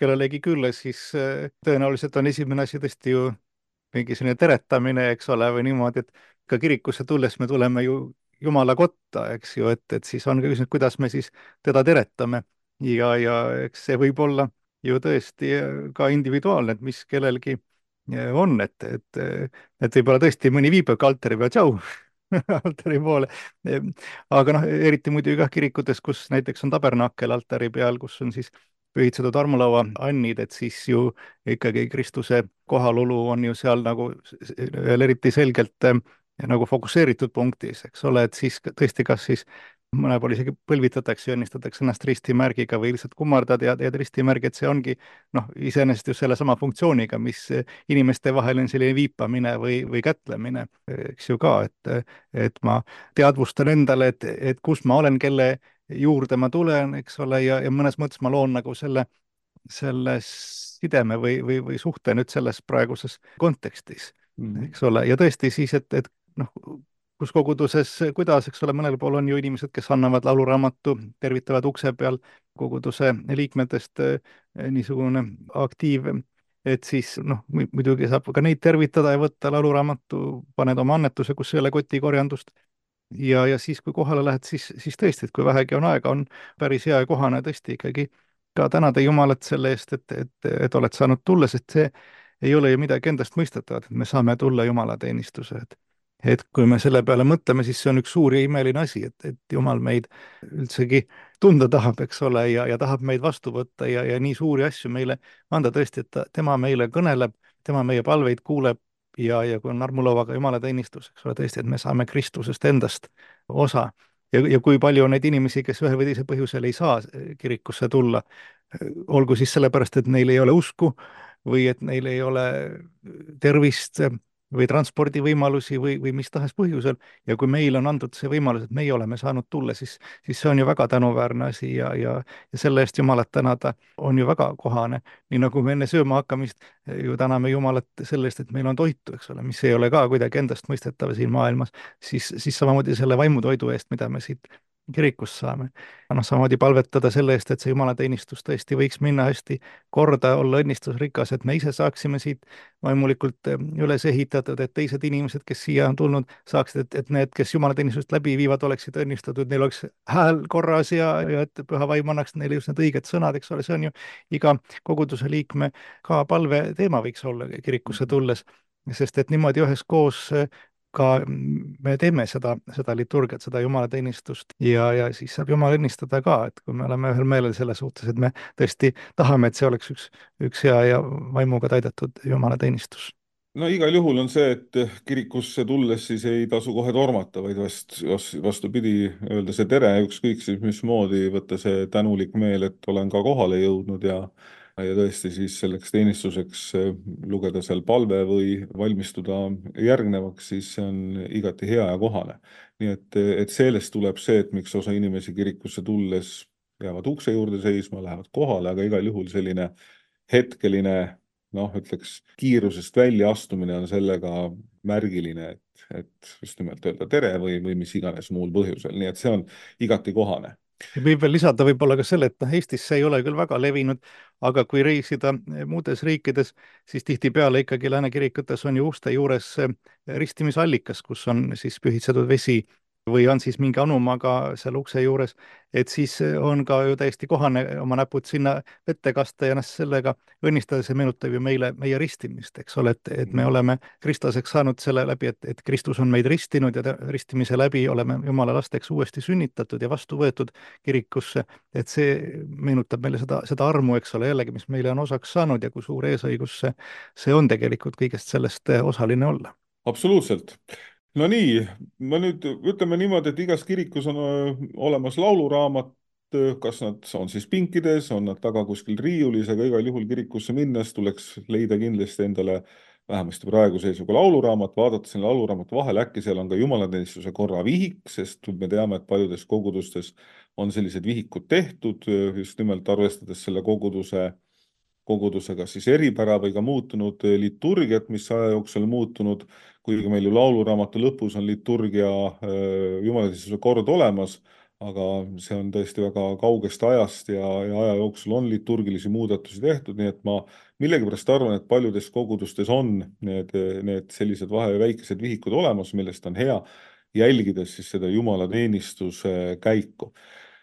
kellelegi külla, siis tõenäoliselt on esimene asi tõesti ju mingi selline teretamine, eks ole, või niimoodi, et ka kirikusse tulles me tuleme ju Jumala kotta, eks ju, et, et siis on ka küsinud, kuidas me siis teda teretame ja, ja eks see võib olla ju tõesti ka individuaalne, et mis kellelgi on, et, et, et võib-olla tõesti mõni viibab altari peal, tšau, altari poole. Aga noh, eriti muidugi ka kirikutes, kus näiteks on tabernakel altari peal, kus on siis pühitsetud armulaua annid, et siis ju ikkagi Kristuse kohalolu on ju seal nagu veel eriti selgelt nagu fokusseeritud punktis, eks ole, et siis tõesti, kas siis mõne pool isegi põlvitatakse ja õnnistatakse ennast ristimärgiga või lihtsalt kummardad ja teed ristimärgi, et see ongi noh, iseenesest just selle sama funktsiooniga, mis inimeste vahel on selline viipamine või, või kätlemine, eks ju ka, et, et ma teadvustan endale, et, et kus ma olen, kelle juurde ma tulen, eks ole, ja, ja mõnes mõttes ma loon nagu selle, selle sideme või, või, või suhte nüüd selles praeguses kontekstis, mm. eks ole, ja tõesti siis, et, et noh, kus koguduses, kuidas, eks ole, mõnel pool on ju inimesed, kes annavad lauluraamatu, tervitavad ukse peal koguduse liikmetest niisugune aktiiv, et siis noh, muidugi saab ka neid tervitada ja võtta lauluraamatu, paned oma annetuse, kus ei ole kotikorjandust. Ja, ja siis, kui kohale lähed, siis, siis tõesti, et kui vähegi on aega, on päris hea ja kohane tõesti ikkagi ka tänada Jumalat selle eest, et, et, et oled saanud tulla, sest see ei ole ju midagi endast mõistetavat, et me saame tulla Jumala teenistuse, et et kui me selle peale mõtleme, siis see on üks suur ja imeline asi, et, et Jumal meid üldsegi tunda tahab, eks ole, ja, ja tahab meid vastu võtta ja, ja nii suuri asju meile anda tõesti, et ta, tema meile kõneleb, tema meie palveid kuuleb ja, ja kui on armulauaga Jumala teenistus, eks ole, tõesti, et me saame Kristusest endast osa. Ja, ja kui palju on neid inimesi, kes ühe või teise põhjusel ei saa kirikusse tulla, olgu siis sellepärast, et neil ei ole usku või et neil ei ole tervist või transpordivõimalusi või, või mis tahes põhjusel ja kui meil on antud see võimalus, et meie oleme saanud tulla, siis, siis see on ju väga tänuväärne asi ja, ja, ja selle eest Jumalat tänada on ju väga kohane. Nii nagu me enne sööma hakkamist ju täname Jumalat selle eest, et meil on toitu, eks ole, mis ei ole ka kuidagi endast mõistetav siin maailmas, siis, siis samamoodi selle vaimutoidu eest, mida me siit kirikust saame. Noh, samamoodi palvetada selle eest, et see jumalateenistus tõesti võiks minna hästi korda, olla õnnistusrikas, et me ise saaksime siit vaimulikult üles ehitatud, et teised inimesed, kes siia on tulnud, saaksid, et, et need, kes jumalateenistust läbi viivad, oleksid õnnistatud, neil oleks hääl korras ja, ja et püha vaim annaks neile just need õiged sõnad, eks ole, see on ju iga koguduse liikme ka palve teema võiks olla kirikusse tulles, sest et niimoodi üheskoos ka me teeme seda, seda liturgiat, seda jumalateenistust ja, ja siis saab Jumal õnnistada ka, et kui me oleme ühel meelel selle suhtes, et me tõesti tahame, et see oleks üks, üks hea ja vaimuga täidetud jumalateenistus. No igal juhul on see, et kirikusse tulles siis ei tasu kohe tormata, vaid vast, vastupidi öelda see tere, ükskõik siis mismoodi võtta see tänulik meel, et olen ka kohale jõudnud ja ja tõesti siis selleks teenistuseks lugeda seal palve või valmistuda järgnevaks, siis see on igati hea ja kohane. Nii et, et sellest tuleb see, et miks osa inimesi kirikusse tulles jäävad ukse juurde seisma, lähevad kohale, aga igal juhul selline hetkeline, noh, ütleks, kiirusest välja astumine on sellega märgiline, et, et just nimelt öelda tere või, või mis iganes muul põhjusel. Nii et see on igati kohane. Võib veel lisada võib-olla ka selle, et noh, Eestis see ei ole küll väga levinud, aga kui reisida muudes riikides, siis tihtipeale ikkagi lääne kirikutes on ju uste juures ristimisallikas, kus on siis pühitsetud vesi või on siis mingi anumaga seal ukse juures, et siis on ka ju täiesti kohane oma näpud sinna vette kasta ja ennast sellega õnnistada, see meenutab ju meile meie ristimist, eks ole, et, et me oleme kristlaseks saanud selle läbi, et, et Kristus on meid ristinud ja ristimise läbi oleme Jumala lasteks uuesti sünnitatud ja vastu võetud kirikusse, et see meenutab meile seda, seda armu, eks ole, jällegi, mis meile on osaks saanud ja kui suur eesõigus see, see on tegelikult kõigest sellest osaline olla. Absoluutselt. No nii, ma nüüd ütleme niimoodi, et igas kirikus on olemas lauluraamat, kas nad on siis pinkides, on nad taga kuskil riiulis, aga igal juhul kirikusse minnes tuleks leida kindlasti endale vähemasti praegu seisuga lauluraamat, vaadata selle lauluraamatu vahel, äkki seal on ka jumalateenistuse korra vihik, sest me teame, et paljudes kogudustes on sellised vihikud tehtud, just nimelt arvestades selle koguduse kogudusega siis eripära või ka muutunud liturgiat, mis aja jooksul muutunud, kuigi meil ju lauluraamatu lõpus on liturgia jumalateenistuse kord olemas, aga see on tõesti väga kaugest ajast ja, ja aja jooksul on liturgilisi muudatusi tehtud, nii et ma millegipärast arvan, et paljudes kogudustes on need, need sellised vahe väikesed vihikud olemas, millest on hea jälgides siis seda jumalateenistuse käiku.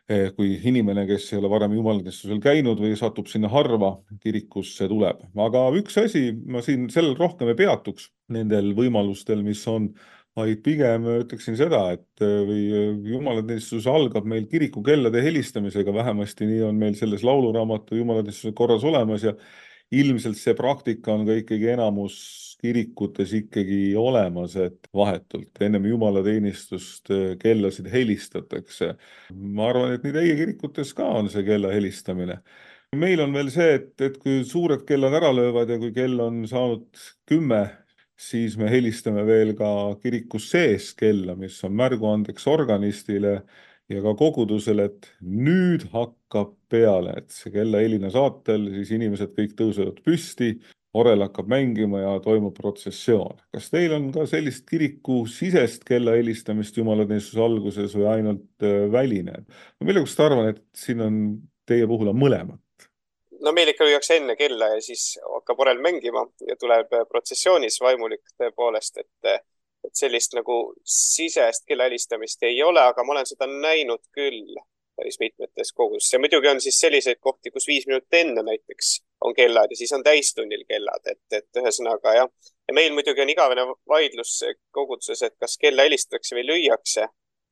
Kui inimene, kes ei ole varem jumalateenistusel käinud või satub sinna harva, kirikusse tuleb. Aga üks asi, ma siin sellel rohkem ei peatuks nendel võimalustel, mis on, vaid pigem ütleksin seda, et või jumalateenistus algab meil kirikukellade helistamisega, vähemasti nii on meil selles lauluraamatu jumalateenistuse korras olemas ja ilmselt see praktika on ka ikkagi enamus kirikutes ikkagi olemas, et vahetult ennem jumalateenistust kellasid helistatakse. Ma arvan, et nii teie kirikutes ka on see kella helistamine. Meil on veel see, et, et kui suured kellad ära löövad ja kui kell on saanud kümme, siis me helistame veel ka kirikus sees kella, mis on märguandeks organistile ja ka kogudusele, et nüüd hakkab peale, et see kella helina saatel, siis inimesed kõik tõusevad püsti, orel hakkab mängima ja toimub protsessioon. Kas teil on ka sellist kiriku sisest kella helistamist jumalateenistuse alguses või ainult väline? Ma millegipärast arvan, et siin on teie puhul on mõlemat. No meil ikka lüüakse enne kella ja siis hakkab orel mängima ja tuleb protsessioonis vaimulik tõepoolest, et et sellist nagu sisest kella helistamist ei ole, aga ma olen seda näinud küll päris mitmetes kogus. Ja muidugi on siis selliseid kohti, kus viis minutit enne näiteks on kellad ja siis on täistunnil kellad, et, et ühesõnaga jah. Ja meil muidugi on igavene vaidlus koguduses, et kas kella helistatakse või lüüakse,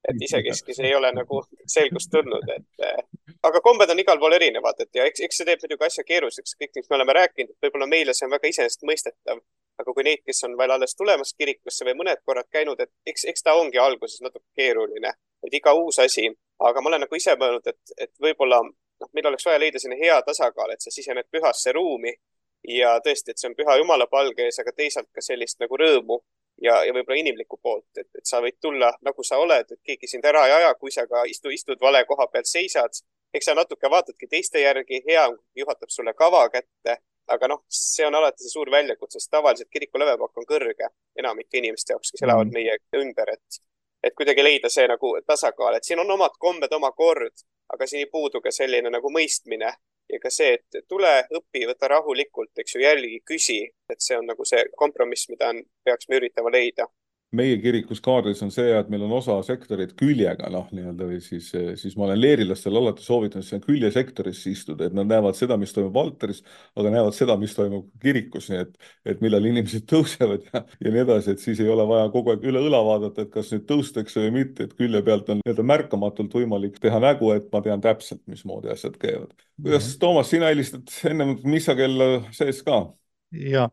et isekeskis ei ole nagu selgust tulnud, et aga kombed on igal pool erinevad, et ja eks, eks see teeb muidugi asja keeruliseks, kõik, mis me oleme rääkinud, et võib-olla meile see on väga iseenesest mõistetav, aga kui neid, kes on veel alles tulemas kirikusse või mõned korrad käinud, et eks, eks ta ongi alguses natuke keeruline, et iga uus asi, aga ma olen nagu ise mõelnud, et, et võib-olla noh, meil oleks vaja leida sinna hea tasakaal, et sa sisened pühasse ruumi ja tõesti, et see on püha Jumala palge ees, aga teisalt ka sellist nagu rõõmu ja, ja võib-olla inimlikku poolt, et, et sa võid tulla nagu sa oled, et keegi sind ära ei aja, kui sa ka istu, istud vale koha peal seisad, eks sa natuke vaatadki teiste järgi, hea juhatab sulle kava kätte, aga noh, see on alati see suur väljakutse, sest tavaliselt kiriku lävepakk on kõrge enamike inimeste jaoks, kes elavad meie ümber, et, et kuidagi leida see nagu tasakaal, et siin on omad kombed, oma kord, aga siin ei puudu ka selline nagu mõistmine ja ka see, et tule, õpi, võta rahulikult, eks ju, jälgi, küsi, et see on nagu see kompromiss, mida on, peaks me üritama leida. meie kirikus Kaarlis on see, et meil on osa sektorit küljega, noh, nii-öelda, või siis, siis ma olen leerilastel alati soovitanud seal küljesektoris istuda, et nad näevad seda, mis toimub Valteris, aga näevad seda, mis toimub kirikus, nii et, et millal inimesed tõusevad ja, ja nii edasi, et siis ei ole vaja kogu aeg üle õla vaadata, et kas nüüd tõustakse või mitte, et külje pealt on nii-öelda märkamatult võimalik teha nägu, et ma tean täpselt, mismoodi asjad käivad. Kuidas, Toomas, sina helistad ennem missa kella sees ka? Ja,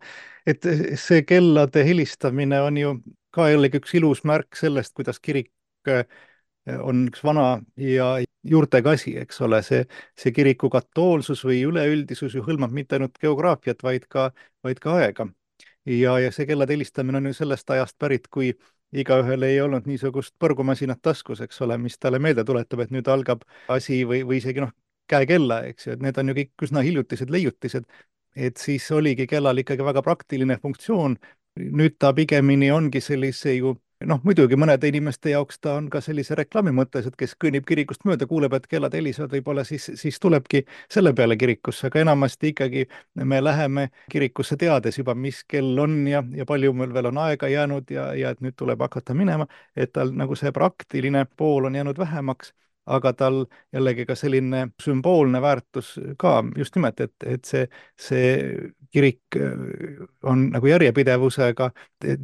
et see kellade helistamine on ju ka jällegi üks ilus märk sellest, kuidas kirik on üks vana ja juurtega asi, eks ole, see, see kiriku katoolsus või üleüldisus ju hõlmab mitte ainult geograafiat, vaid ka, vaid ka aega. Ja, ja see kellade helistamine on ju sellest ajast pärit, kui igaühel ei olnud niisugust põrgumasinat taskus, eks ole, mis talle meelde tuletab, et nüüd algab asi või, või isegi noh, käekella, eks ju, et need on ju kõik üsna hiljutised leiutised, et siis oligi kellal ikkagi väga praktiline funktsioon. Nüüd ta pigemini ongi sellise ju, noh muidugi mõnede inimeste jaoks ta on ka sellise reklaami mõttes, et kes kõnnib kirikust mööda, kuuleb, et kellad helisevad, võib-olla siis, siis tulebki selle peale kirikusse, aga enamasti ikkagi me läheme kirikusse teades juba, mis kell on ja, ja palju meil veel on aega jäänud ja, ja et nüüd tuleb hakata minema, et tal nagu see praktiline pool on jäänud vähemaks, aga tal jällegi ka selline sümboolne väärtus ka just nimelt, et, et see, see kirik on nagu järjepidevusega,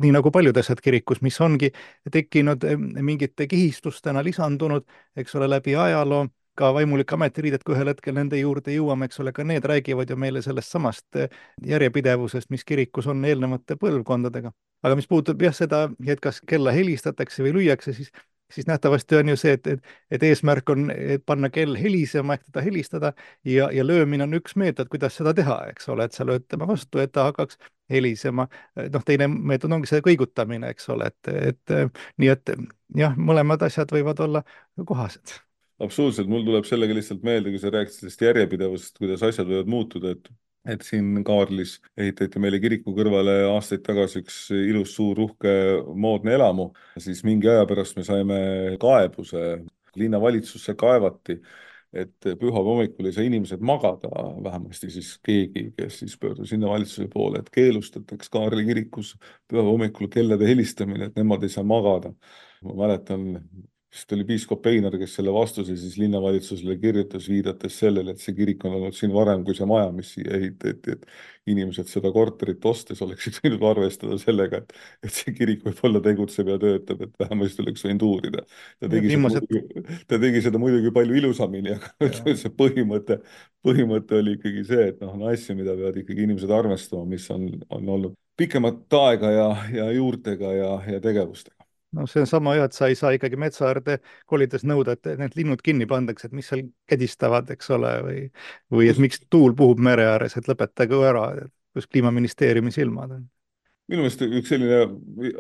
nii nagu paljud asjad kirikus, mis ongi tekkinud mingite kihistustena lisandunud, eks ole, läbi ajaloo, ka vaimulike ametiriided, kui ühel hetkel nende juurde jõuame, eks ole, ka need räägivad ju meile sellest samast järjepidevusest, mis kirikus on eelnevate põlvkondadega. Aga mis puutub jah seda, et kas kella helistatakse või lüüakse, siis siis nähtavasti on ju see, et, et, et eesmärk on et panna kell helisema ehk teda helistada ja, ja löömine on üks meetod, kuidas seda teha, eks ole, et sa lööd tema vastu, et ta hakkaks helisema. Noh, teine meetod ongi see kõigutamine, eks ole, et, et nii et jah, mõlemad asjad võivad olla kohased. Absoluutselt, mul tuleb sellega lihtsalt meelde, kui sa rääkisid sellest järjepidevust, kuidas asjad võivad muutuda, et et siin Kaarlis ehitati meile kiriku kõrvale aastaid tagasi üks ilus suur uhke moodne elamu, siis mingi aja pärast me saime kaebuse, linnavalitsusse kaevati, et pühapäeva hommikul ei saa inimesed magada, vähemasti siis keegi, kes siis pöördus linnavalitsuse poole, et keelustataks Kaarli kirikus pühapäeva hommikul kellade helistamine, et nemad ei saa magada. Ma mäletan, sest oli piiskop Einar, kes selle vastuse siis linnavalitsusele kirjutas, viidates sellele, et see kirik on olnud siin varem kui see maja, mis siia ehitati, et inimesed seda korterit ostes oleksid võinud arvestada sellega, et, et see kirik võib-olla tegutseb ja töötab, et vähemasti oleks võinud uurida. Ta tegi, Viimased... muidugi, ta tegi seda muidugi palju ilusamini, aga ja. see põhimõte, põhimõte oli ikkagi see, et noh, on asju, mida peavad ikkagi inimesed arvestama, mis on, on olnud pikemat aega ja, ja juurtega ja, ja tegevustega. No see on sama jah, et sa ei saa ikkagi metsaäärde kolides nõuda, et need linnud kinni pandakse, et mis seal kädistavad, eks ole, või, või et miks tuul puhub mere ääres, et lõpetage ära, kus kliimaministeeriumi silmad on. Minu meelest üks selline,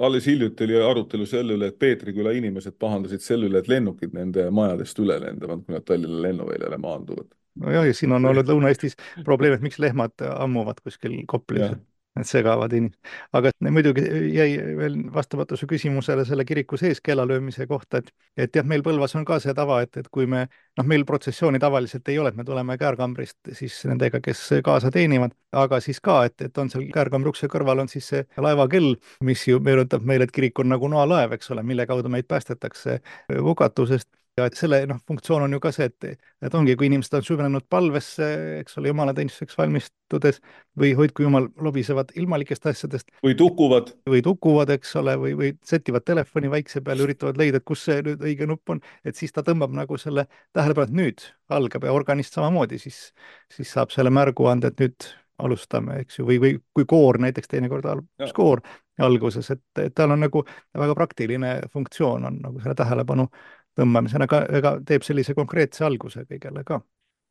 alles hiljuti oli arutelu selle üle, et Peetriküla inimesed pahandasid selle üle, et lennukid nende majadest üle lendavad, kui nad Tallinna lennuväljale maanduvad. No jah, ja siin on olnud Lõuna-Eestis probleem, et miks lehmad ammuvad kuskil Koplis. Need segavad inimesed. Aga muidugi jäi veel vastamata su küsimusele selle kiriku sees kellalöömise kohta, et, et jah, meil Põlvas on ka see tava, et, et kui me, noh, meil protsessiooni tavaliselt ei ole, et me tuleme käärkambrist siis nendega, kes kaasa teenivad, aga siis ka, et, et on seal käärkambri ukse kõrval on siis see laevakell, mis ju meenutab meile, et kirik on nagu noalaev, eks ole, mille kaudu meid päästetakse hukatusest. Ja et selle noh, funktsioon on ju ka see, et, et ongi, kui inimesed on süvenenud palvesse, eks ole, jumalateenistuseks valmistudes või hoidku jumal lobisevad ilmalikest asjadest. Või tukuvad. Või tukuvad, eks ole, või, või sätivad telefoni vaikse peale, üritavad leida, et kus see nüüd õige nupp on, et siis ta tõmbab nagu selle tähelepanu, et nüüd algab ja organist samamoodi, siis, siis saab selle märgu anda, et nüüd alustame, eks ju, või, või kui koor näiteks teinekord algus koor alguses, et, et tal on nagu väga praktiline funktsioon on nagu selle tähelepanu tõmbamisena, aga, aga teeb sellise konkreetse alguse kõigele ka.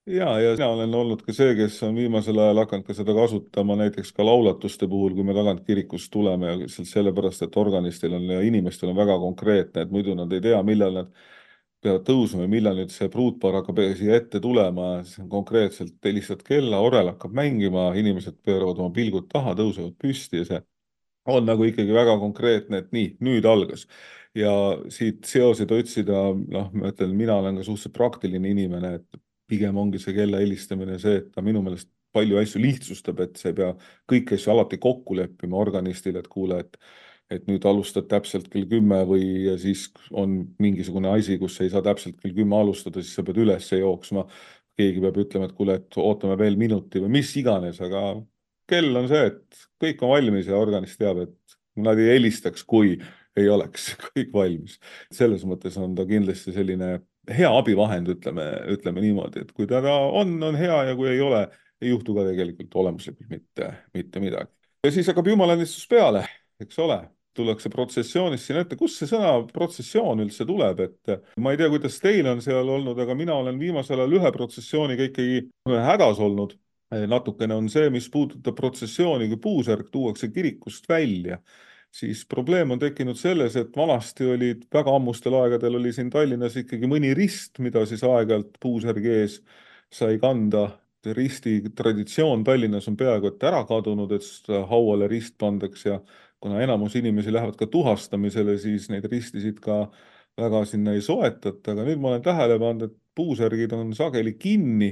Ja, ja mina olen olnud ka see, kes on viimasel ajal hakanud ka seda kasutama näiteks ka laulatuste puhul, kui me tagant kirikust tuleme ja sellepärast, et organistil on ja inimestel on väga konkreetne, et muidu nad ei tea, millal nad peavad tõusma ja millal nüüd see pruutpaar hakkab siia ette tulema, siis on konkreetselt helistad kella, orel hakkab mängima, inimesed pööravad oma pilgud taha, tõusevad püsti ja see on nagu ikkagi väga konkreetne, et nii, nüüd algas. Ja siit seoseid otsida, noh, ma ütlen, mina olen ka suhteliselt praktiline inimene, et pigem ongi see kella helistamine see, et ta minu meelest palju asju lihtsustab, et see ei pea kõiki asju alati kokku leppima organistile, et kuule, et et nüüd alustad täpselt kell kümme või ja siis on mingisugune asi, kus ei saa täpselt kell kümme alustada, siis sa pead üles jooksma. Keegi peab ütlema, et kuule, et ootame veel minuti või mis iganes, aga kell on see, et kõik on valmis ja organist teab, et nad ei helistaks, kui ei oleks kõik valmis. Selles mõttes on ta kindlasti selline hea abivahend, ütleme, ütleme niimoodi, et kui ta on, on hea ja kui ei ole, ei juhtu ka tegelikult olemuslikult mitte, mitte midagi. Ja siis hakkab jumalannistus peale, eks ole, tullakse protsessioonis siin ette. Kust see sõna protsessioon üldse tuleb, et ma ei tea, kuidas teil on seal olnud, aga mina olen viimasel ajal ühe protsessiooniga ikkagi hädas olnud. Natukene on see, mis puudutab protsessiooni, kui puusärk tuuakse kirikust välja, siis probleem on tekkinud selles, et vanasti olid väga ammustel aegadel oli siin Tallinnas ikkagi mõni rist, mida siis aeg-ajalt puusärgi ees sai kanda. Risti traditsioon Tallinnas on peaaegu et ära kadunud, et hauale rist pandaks ja kuna enamus inimesi lähevad ka tuhastamisele, siis neid ristisid ka väga sinna ei soetata, aga nüüd ma olen tähele pannud, et puusärgid on sageli kinni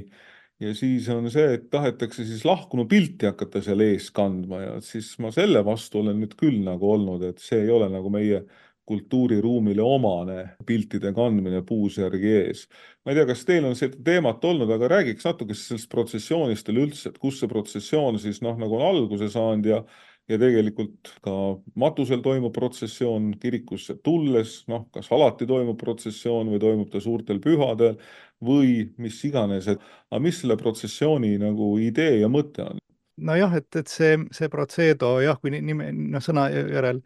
ja siis on see, et tahetakse siis lahkunu pilti hakata seal ees kandma ja siis ma selle vastu olen nüüd küll nagu olnud, et see ei ole nagu meie kultuuriruumile omane piltide kandmine puusärgi ees. Ma ei tea, kas teil on seda teemat olnud, aga räägiks natuke sellest protsessioonist üldse, et kus see protsessioon siis noh, nagu on alguse saanud ja ja tegelikult ka matusel toimub protsessioon kirikusse tulles, noh, kas alati toimub protsessioon või toimub ta suurtel pühadel või mis iganes, et aga mis selle protsessiooni nagu idee ja mõte on? No jah, et, et see, see protseedo, jah, kui nime, no, sõna järel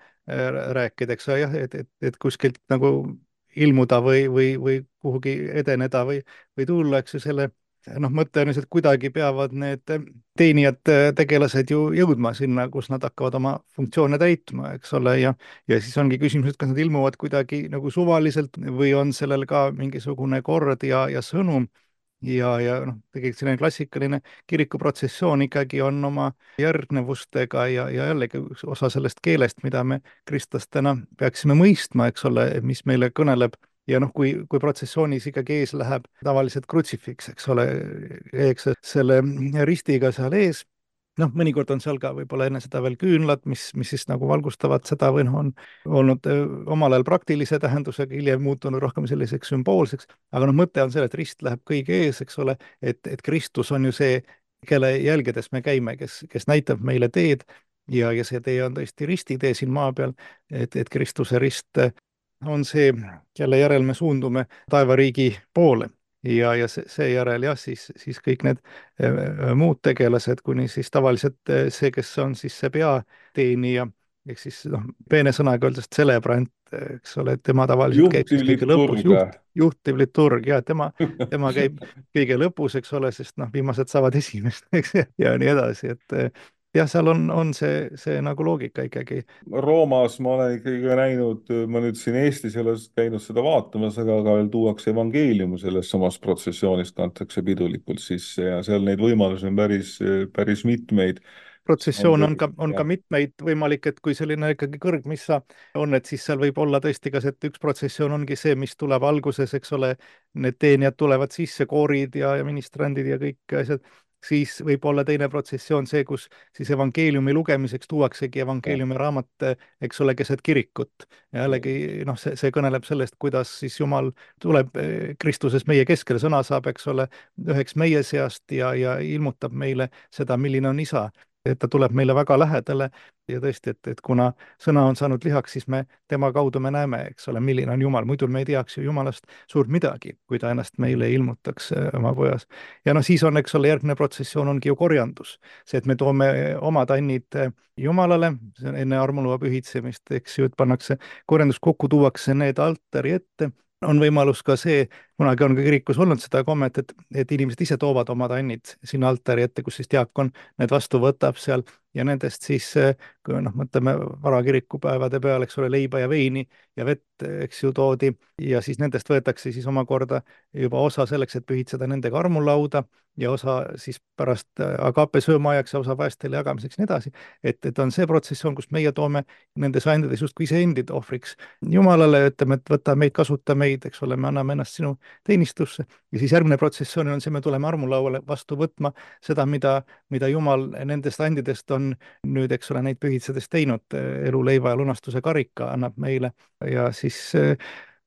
rääkida, eks jah, et, et, et kuskilt nagu ilmuda või, või, või kuhugi edeneda või, või tulla, eks ju selle noh, mõte on, et kuidagi peavad need teenijad, tegelased ju jõudma sinna, kus nad hakkavad oma funktsioone täitma, eks ole, ja, ja siis ongi küsimus, et kas nad ilmuvad kuidagi nagu suvaliselt või on sellel ka mingisugune kord ja, ja sõnum. Ja, ja noh, tegelikult selline klassikaline kirikuprotsessioon ikkagi on oma järgnevustega ja, ja jällegi osa sellest keelest, mida me kristlastena peaksime mõistma, eks ole, mis meile kõneleb. Ja noh, kui, kui protsessioonis ikkagi ees läheb tavaliselt krutsifiks, eks ole, eks selle ristiga seal ees. Noh, mõnikord on seal ka võib-olla enne seda veel küünlad, mis, mis siis nagu valgustavad seda või noh, on olnud omal ajal praktilise tähendusega, hiljem muutunud rohkem selliseks sümboolseks, aga noh, mõte on selle, et rist läheb kõige ees, eks ole, et, et Kristus on ju see, kelle jälgedes me käime, kes, kes näitab meile teed ja, ja see tee on tõesti ristitee siin maa peal, et, et Kristuse rist on see, kelle järel me suundume taevariigi poole. Ja, ja seejärel jah, siis, siis kõik need muud tegelased, kuni siis tavaliselt see, kes on siis see peateenija, ehk siis noh, peene sõnaga öeldes celebrant, eks ole, tema tavaliselt käib siis kõige lõpus, juht, juhtiv liturg, ja tema, tema käib kõige lõpus, eks ole, sest noh, viimased saavad esimest, eks, ja nii edasi, et jah, seal on, on see, see nagu loogika ikkagi. Roomas ma olen ikkagi näinud, ma nüüd siin Eestis ei ole käinud seda vaatamas, aga ka veel tuuakse evangeeliumu selles samas protsessioonis, kantakse pidulikult sisse ja seal neid võimalusi on päris, päris mitmeid. Protsessioon on ka, on ka mitmeid võimalik, et kui selline ikkagi kõrgmissa on, et siis seal võib olla tõesti ka see, et üks protsessioon ongi see, mis tuleb alguses, eks ole, need teenijad tulevad sisse, koorid ja, ja ministrandid ja kõik asjad. Siis võib olla teine protsessioon see, kus siis evangeeliumi lugemiseks tuuaksegi evangeeliumi raamat, eks ole, keset kirikut. Ja jällegi, noh, see, see kõneleb sellest, kuidas siis Jumal tuleb Kristuses meie keskele, sõna saab, eks ole, üheks meie seast ja, ja ilmutab meile seda, milline on isa. Et ta tuleb meile väga lähedale ja tõesti, et, et kuna sõna on saanud lihaks, siis me tema kaudu me näeme, eks ole, milline on Jumal, muidu me ei teaks ju Jumalast suurt midagi, kui ta ennast meile ilmutaks oma pojas. Ja noh, siis on, eks ole, järgmine protsessioon ongi ju korjandus. See, et me toome oma tannid Jumalale, enne armulua pühitsemist, eks ju, et pannakse korjandus kokku, tuuakse need altari ette. On võimalus ka see, kunagi on ka kirikus olnud seda kommet, et, et inimesed ise toovad oma tannid sinna altari ette, kus siis diakon need vastu võtab seal ja nendest siis, kui noh, mõtleme varakirikupäevade peale, eks ole, leiba ja veini ja vett, eks ju, toodi ja siis nendest võetakse siis omakorda juba osa selleks, et pühitseda nendega armulauda ja osa siis pärast agape söömaajaks ja osa vaestele jagamiseks ja nii edasi. Et, et on see protsessioon, kus meie toome nendes andades justkui iseendid ohvriks Jumalale, ütleme, et võta meid, kasuta meid, eks ole, me anname ennast sinu teenistusse ja siis järgmine protsessioon on see, me tuleme armulauale vastu võtma seda, mida, mida Jumal nendest andidest on nüüd, eks ole, neid pühitsedes teinud, elu, leiva ja lunastuse karika annab meile ja siis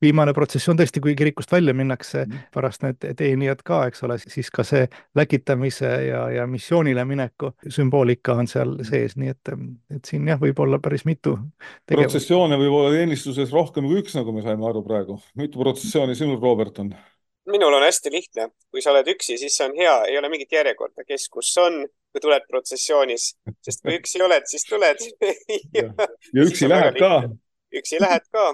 viimane protsessioon tõesti, kui kirikust välja minnakse, pärast need teenijad ka, eks ole, siis ka see läkitamise ja, ja missioonile mineku sümboolika on seal sees, nii et, et siin jah, võib olla päris mitu tegevust. Protsessioone võib olla teenistuses rohkem kui üks, nagu me saime aru praegu. Mitu protsessiooni sinul, Robert, on? Minul on hästi lihtne. Kui sa oled üksi, siis see on hea. Ei ole mingit järjekorda, kes kus on, kui tuled protsessioonis. Sest kui üksi oled, siis tuled. ja, ja üksi lähed ka. Üksi lähed ka.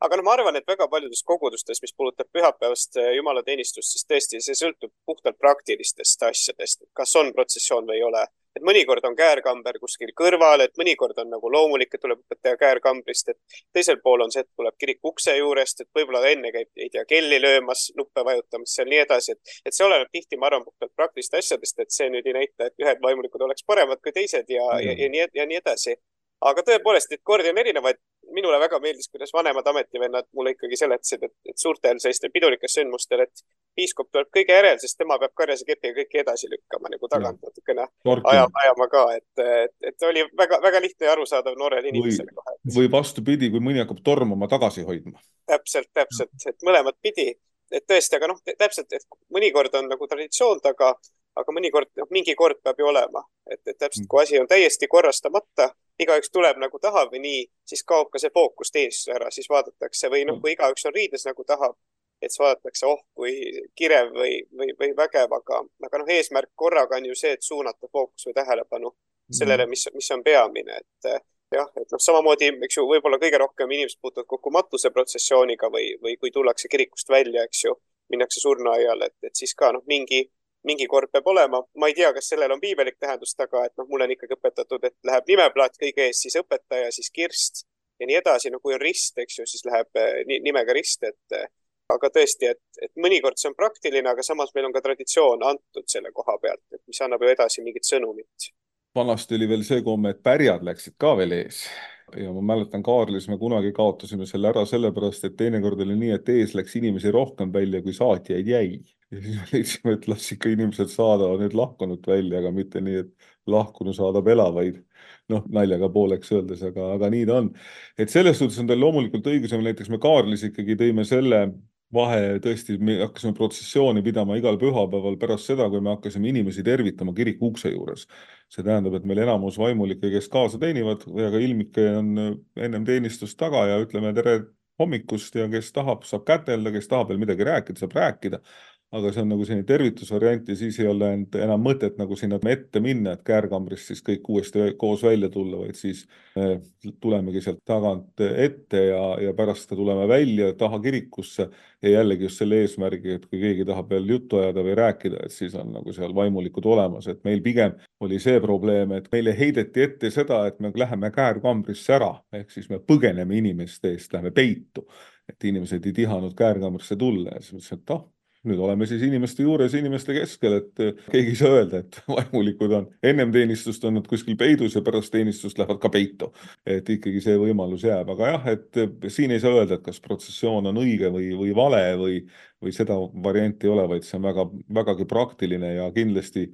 Aga no ma arvan, et väga paljudes kogudustes, mis puudutab pühapäevast jumalateenistust, siis tõesti see sõltub puhtalt praktilistest asjadest, kas on protsessioon või ei ole. Et mõnikord on käärkamber kuskil kõrval, et mõnikord on nagu loomulik, et tuleb õpetaja käärkambrist, et teisel pool on see, et tuleb kirik ukse juurest, et võib-olla enne käib, ei tea, kelli löömas, nuppe vajutamas, seal nii edasi, et, et see oleneb tihti, ma arvan, puhtalt praktilist asjadest, et see nüüd ei näita, et ühed vaimulikud oleks paremad kui teised ja, ja, ja, nii, ja nii edasi. Aga tõepoolest, et kordi on erinevaid. Minule väga meeldis, kuidas vanemad ametivennad mulle ikkagi seletasid, et, et suurtel sellistel pidulikel sündmustel, et piiskop tuleb kõige järel, sest tema peab karjase kepiga kõiki edasi lükkama nagu tagant natukene ajama, ajama ka, et, et, et oli väga, väga lihtne ja arusaadav noorel inimesele kohe. Või vastupidi, kui mõni hakkab tormama tagasi hoidma. Täpselt, täpselt, et mõlemad pidi, et tõesti, aga noh, täpselt, et mõnikord on nagu traditsioon taga, aga mõnikord, noh, mingi kord peab ju olema, et, et täpselt, kui asi on täiesti korrastamata, igaüks tuleb nagu tahab või nii, siis kaob ka see fookus teenistus ära, siis vaadatakse või noh, kui igaüks on riides nagu tahab, et siis vaadatakse, oh, kui kirev või, või, või vägev, aga, aga noh, eesmärk korraga on ju see, et suunata fookus või tähelepanu sellele, mis, mis on peamine, et jah, et noh, samamoodi, eks ju, võib-olla kõige rohkem inimesed puutuvad kokku matuse protsessiooniga või, või kui tullakse kirikust välja, eks ju, minnakse surnuaiale, et, et siis ka noh, mingi mingi kord peab olema. Ma ei tea, kas sellel on piibelik tähendus taga, et noh, mul on ikkagi õpetatud, et läheb nimeplaat kõige ees, siis õpetaja, siis kirst ja nii edasi. No kui on rist, eks ju, siis läheb nimega rist, et aga tõesti, et, et mõnikord see on praktiline, aga samas meil on ka traditsioon antud selle koha pealt, et mis annab ju edasi mingit sõnumit. Vanasti oli veel see komme, et pärjad läksid ka veel ees. Ja ma mäletan, Kaarlis me kunagi kaotasime selle ära sellepärast, et teinekord oli nii, et ees läks inimesi rohkem välja, kui saatjaid jäi. Ja siis me leidsime, et las ikka inimesed saadavad nüüd lahkunud välja, aga mitte nii, et lahkunu saadab elavaid. Noh, naljaga pooleks öeldes, aga, aga nii ta on. Et selles suhtes on teil loomulikult õigus, näiteks me Kaarlis ikkagi tõime selle vahe, tõesti, me hakkasime protsessiooni pidama igal pühapäeval pärast seda, kui me hakkasime inimesi tervitama kiriku ukse juures. See tähendab, et meil enamus vaimulikke, kes kaasa teenivad, ja ka ilmike on ennem teenistust taga ja ütleme tere hommikust ja kes tahab, saab kätelda, kes tahab veel midagi rääkida, saab rääkida. Aga see on nagu selline tervitusvariant ja siis ei ole enam mõtet nagu sinna ette minna, et käärkambrist siis kõik uuesti koos välja tulla, vaid siis tulemegi sealt tagant ette ja, ja pärast tuleme välja taha kirikusse ja jällegi just selle eesmärgi, et kui keegi tahab veel juttu ajada või rääkida, et siis on nagu seal vaimulikud olemas, et meil pigem oli see probleem, et meile heideti ette seda, et me läheme käärkambrisse ära, ehk siis me põgeneme inimeste eest, läheme peitu, et inimesed ei tihanud käärkambrisse tulla ja siis mõtlesin, et ah, nüüd oleme siis inimeste juures, inimeste keskel, et keegi ei saa öelda, et vaimulikud on ennem teenistust on nad kuskil peidus ja pärast teenistust lähevad ka peitu. Et ikkagi see võimalus jääb. Aga jah, et siin ei saa öelda, et kas protsessioon on õige või, või vale või, või seda varianti ei ole, vaid see on väga, vägagi praktiline ja kindlasti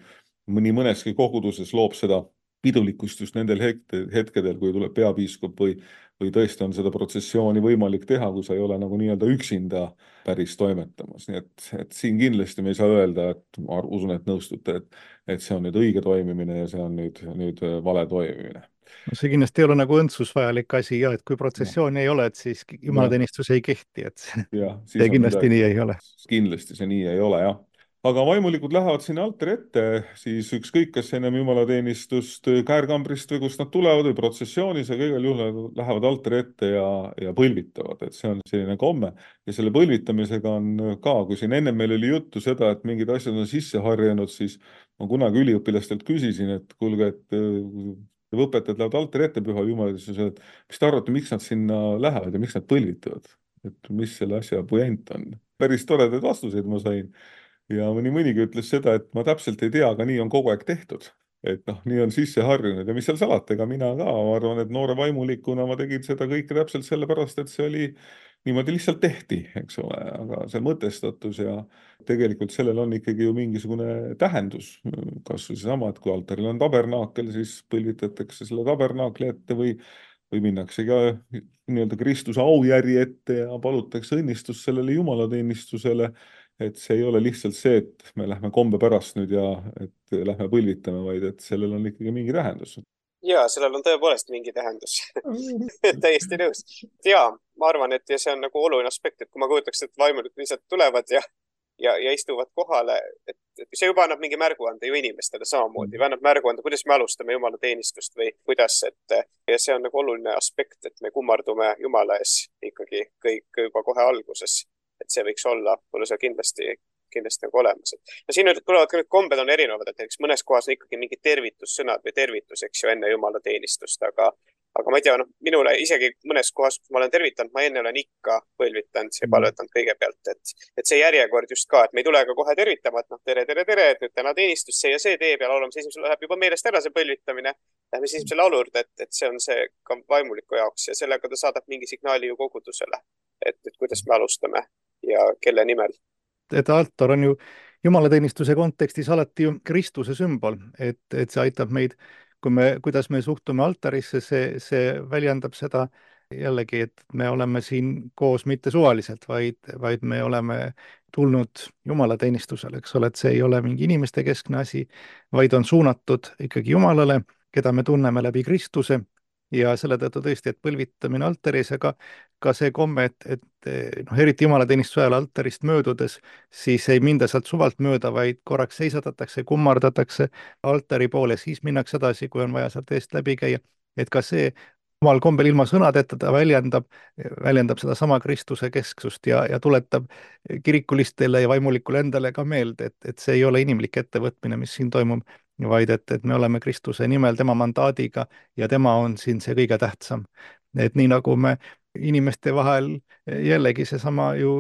mõni mõneski koguduses loob seda pidulikkust just nendel hetkedel, kui tuleb peapiiskop või, või tõesti on seda protsessiooni võimalik teha, kui sa ei ole nagu nii-öelda üksinda päris toimetamas. Nii et, et siin kindlasti me ei saa öelda, et ma usun, et nõustute, et, et see on nüüd õige toimimine ja see on nüüd, nüüd vale toimimine. No see kindlasti ei ole nagu õndsus vajalik asi ja et kui protsessiooni ja. ei ole, et siis jumalateenistus ei kehti, et ja, see kindlasti midagi. Nii ei ole. Kindlasti see nii ei ole, jah. Aga vaimulikud lähevad sinna altari ette, siis ükskõik, kas ennem jumalateenistust käärkambrist või kust nad tulevad või protsessioonis ja kõigil juhul lähevad altari ette ja, ja põlvitavad, et see on selline komme. Ja selle põlvitamisega on ka, kui siin ennem meil oli juttu seda, et mingid asjad on sisse harjanud, siis ma kunagi üliõpilastelt küsisin, et kuulge, et õpetajad lähevad altari ette püha jumalateenistusele, et mis te arvate, miks nad sinna lähevad ja miks nad põlvitavad? Et mis selle asja puent on? Päris toredaid vastuseid ma sain. Ja mõni mõnigi ütles seda, et ma täpselt ei tea, aga nii on kogu aeg tehtud. Et noh, nii on sisse harjunud ja mis seal salata, ega mina ka, ma arvan, et noore vaimulikuna ma tegin seda kõike täpselt sellepärast, et see oli niimoodi lihtsalt tehti, eks ole, aga see mõtestatus ja tegelikult sellel on ikkagi ju mingisugune tähendus. Kas või seesama, et kui altaril on tabernaakel, siis põlvitatakse selle tabernaakli ette või, või minnakse ka nii-öelda Kristuse aujärje ette ja palutakse õnnistust sellele jumalateenistusele. Et see ei ole lihtsalt see, et me lähme kombe pärast nüüd ja et lähme põlvitame, vaid et sellel on ikkagi mingi tähendus. Ja, sellel on tõepoolest mingi tähendus. Täiesti nõus. Ja, ma arvan, et ja see on nagu oluline aspekt, et kui ma kujutaks, et vaimulikud lihtsalt tulevad ja, ja, ja istuvad kohale, et, et see juba annab mingi märguande ju inimestele samamoodi. Annab märguande, kuidas me alustame Jumala teenistust või kuidas, et ja see on nagu oluline aspekt, et me kummardume Jumala ees ikkagi kõik juba kohe alguses. Et see võiks olla, mulle see kindlasti kindlasti nagu olemas. No siin tulevad ka nüüd kombed on erinevad, et näiteks mõnes kohas on ikkagi mingid tervitussõnad või tervitus, eks ju, enne Jumala teenistust, aga, aga ma ei tea, no minule isegi mõnes kohas, kus ma olen tervitanud, ma enne olen ikka põlvitanud ja palvetanud kõigepealt, et, et see järjekord just ka, et me ei tule ka kohe tervitama, et noh, tere, tere, tere, et nüüd täna teenistus see ja see teeb ja laulame, see esimesel läheb juba meelest ära see põlvitamine. Lähme siis esimesel laulu juurde, et, et see on see ka vaimuliku jaoks ja sellega ta saadab mingi signaali ju kogudusele, et, et kuidas me alustame ja kelle nimel. Et altar on ju jumalateenistuse kontekstis alati ju Kristuse sümbol, et, et see aitab meid, kui me, kuidas me suhtume altarisse, see, see väljendab seda jällegi, et me oleme siin koos mitte suvaliselt, vaid, vaid me oleme tulnud jumalateenistusele, eks ole, et see ei ole mingi inimeste keskne asi, vaid on suunatud ikkagi Jumalale, keda me tunneme läbi Kristuse ja selle tõttu tõesti, et põlvitamine altaris, aga ka see komme, et, et noh, eriti jumalateenistuse ajal altarist möödudes, siis ei minda sealt suvalt mööda, vaid korraks seisatatakse, kummardatakse altari poole, siis minnakse edasi, kui on vaja sealt eest läbi käia. Et ka see omal kombel ilma sõnadeta ta väljendab, väljendab seda sama Kristuse kesksust ja, ja tuletab kirikulistele ja vaimulikule endale ka meelde, et, et see ei ole inimlik ettevõtmine, mis siin toimub, vaid et, et me oleme Kristuse nimel, tema mandaadiga ja tema on siin see kõige tähtsam. Et nii nagu me inimeste vahel jällegi seesama ju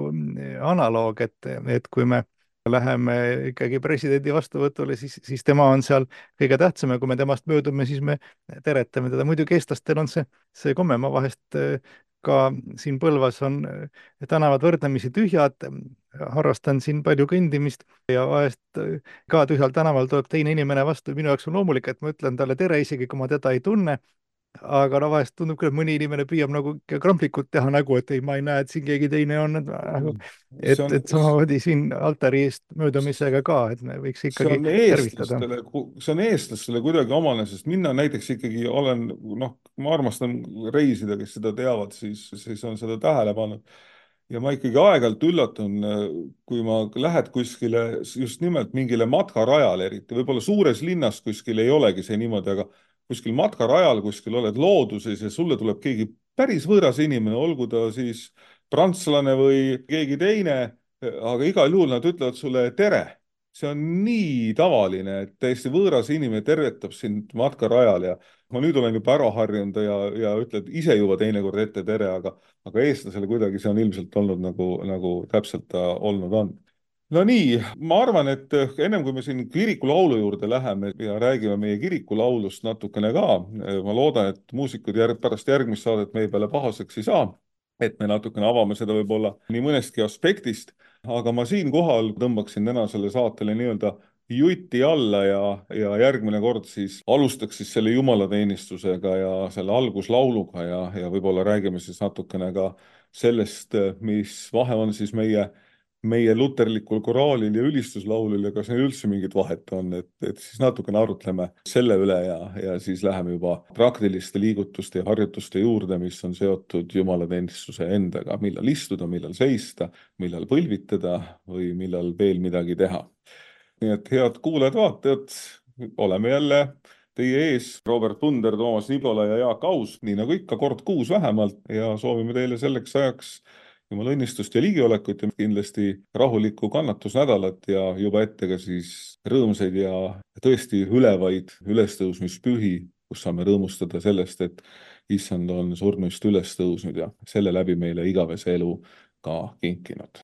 analoog, et, et kui me läheme ikkagi presidendi vastuvõtule, siis, siis tema on seal kõige tähtsam ja kui me temast möödume, siis me teretame teda. Muidugi eestlastel on see, see komme, ma vahest ka siin Põlvas on tänavad võrdlemisi tühjad, harrastan siin palju kõndimist ja vahest ka tühjal tänaval tuleb teine inimene vastu. Minu jaoks on loomulik, et ma ütlen talle tere, isegi kui ma teda ei tunne. Aga no vahest tundub küll, et mõni inimene püüab nagu kramplikult teha nägu, et ei, ma ei näe, et siin keegi teine on. Et, et samamoodi siin altari eest möödumisega ka, et me võiks ikkagi tervitada. See on eestlastele kuidagi omane, sest minna näiteks ikkagi olen, noh, ma armastan reisida, kes seda teavad, siis, siis on seda tähele pannud. Ja ma ikkagi aegalt üllatun, kui ma lähed kuskile just nimelt mingile matkarajale, eriti võib-olla suures linnas kuskil ei olegi see niimoodi, aga kuskil matkarajal, kuskil oled looduses ja sulle tuleb keegi päris võõras inimene, olgu ta siis prantslane või keegi teine, aga igal juhul nad ütlevad sulle tere. See on nii tavaline, et täiesti võõras inimene tervetab sind matkarajal ja ma nüüd olen juba ära harjunud ja, ja ütled ise juba teinekord ette tere, aga, aga eestlasele kuidagi see on ilmselt olnud nagu, nagu täpselt ta olnud on. No nii, ma arvan, et ennem kui me siin kirikulaulu juurde läheme ja räägime meie kirikulaulust natukene ka, ma loodan, et muusikud järg, pärast järgmist saadet meie peale pahaseks ei saa, et me natukene avame seda võib-olla nii mõnestki aspektist, aga ma siin kohal tõmbaksin täna selle saatele nii-öelda jutti alla ja, ja järgmine kord siis alustaks siis selle jumalateenistusega ja selle alguslauluga ja, ja võib-olla räägime siis natukene ka sellest, mis vahe on siis meie meie luterlikul koraalil ja ülistuslaulil ja kas neil üldse mingit vahet on, et, et siis natukene arutleme selle üle ja, ja siis läheme juba praktiliste liigutuste ja harjutuste juurde, mis on seotud jumalateenistuse endaga, millal istuda, millal seista, millal põlvitada või millal veel midagi teha. Nii et head kuulajad-vaatajad, oleme jälle teie ees, Robert Punder, Toomas Nibola ja Jaak Aus, nii nagu ikka kord kuus vähemalt ja soovime teile selleks ajaks Jumala õnnistust ja ligiolekut ja kindlasti rahulikku kannatusnädalat ja juba ette ka siis rõõmsaid ja tõesti ülevaid ülestõusmispühi, kus saame rõõmustada sellest, et issand on surnuist üles tõusnud ja selle läbi meile igavese elu ka kinkinud.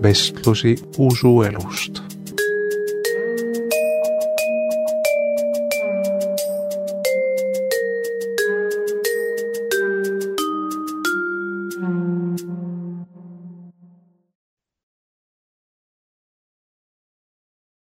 vestlusi usuelust.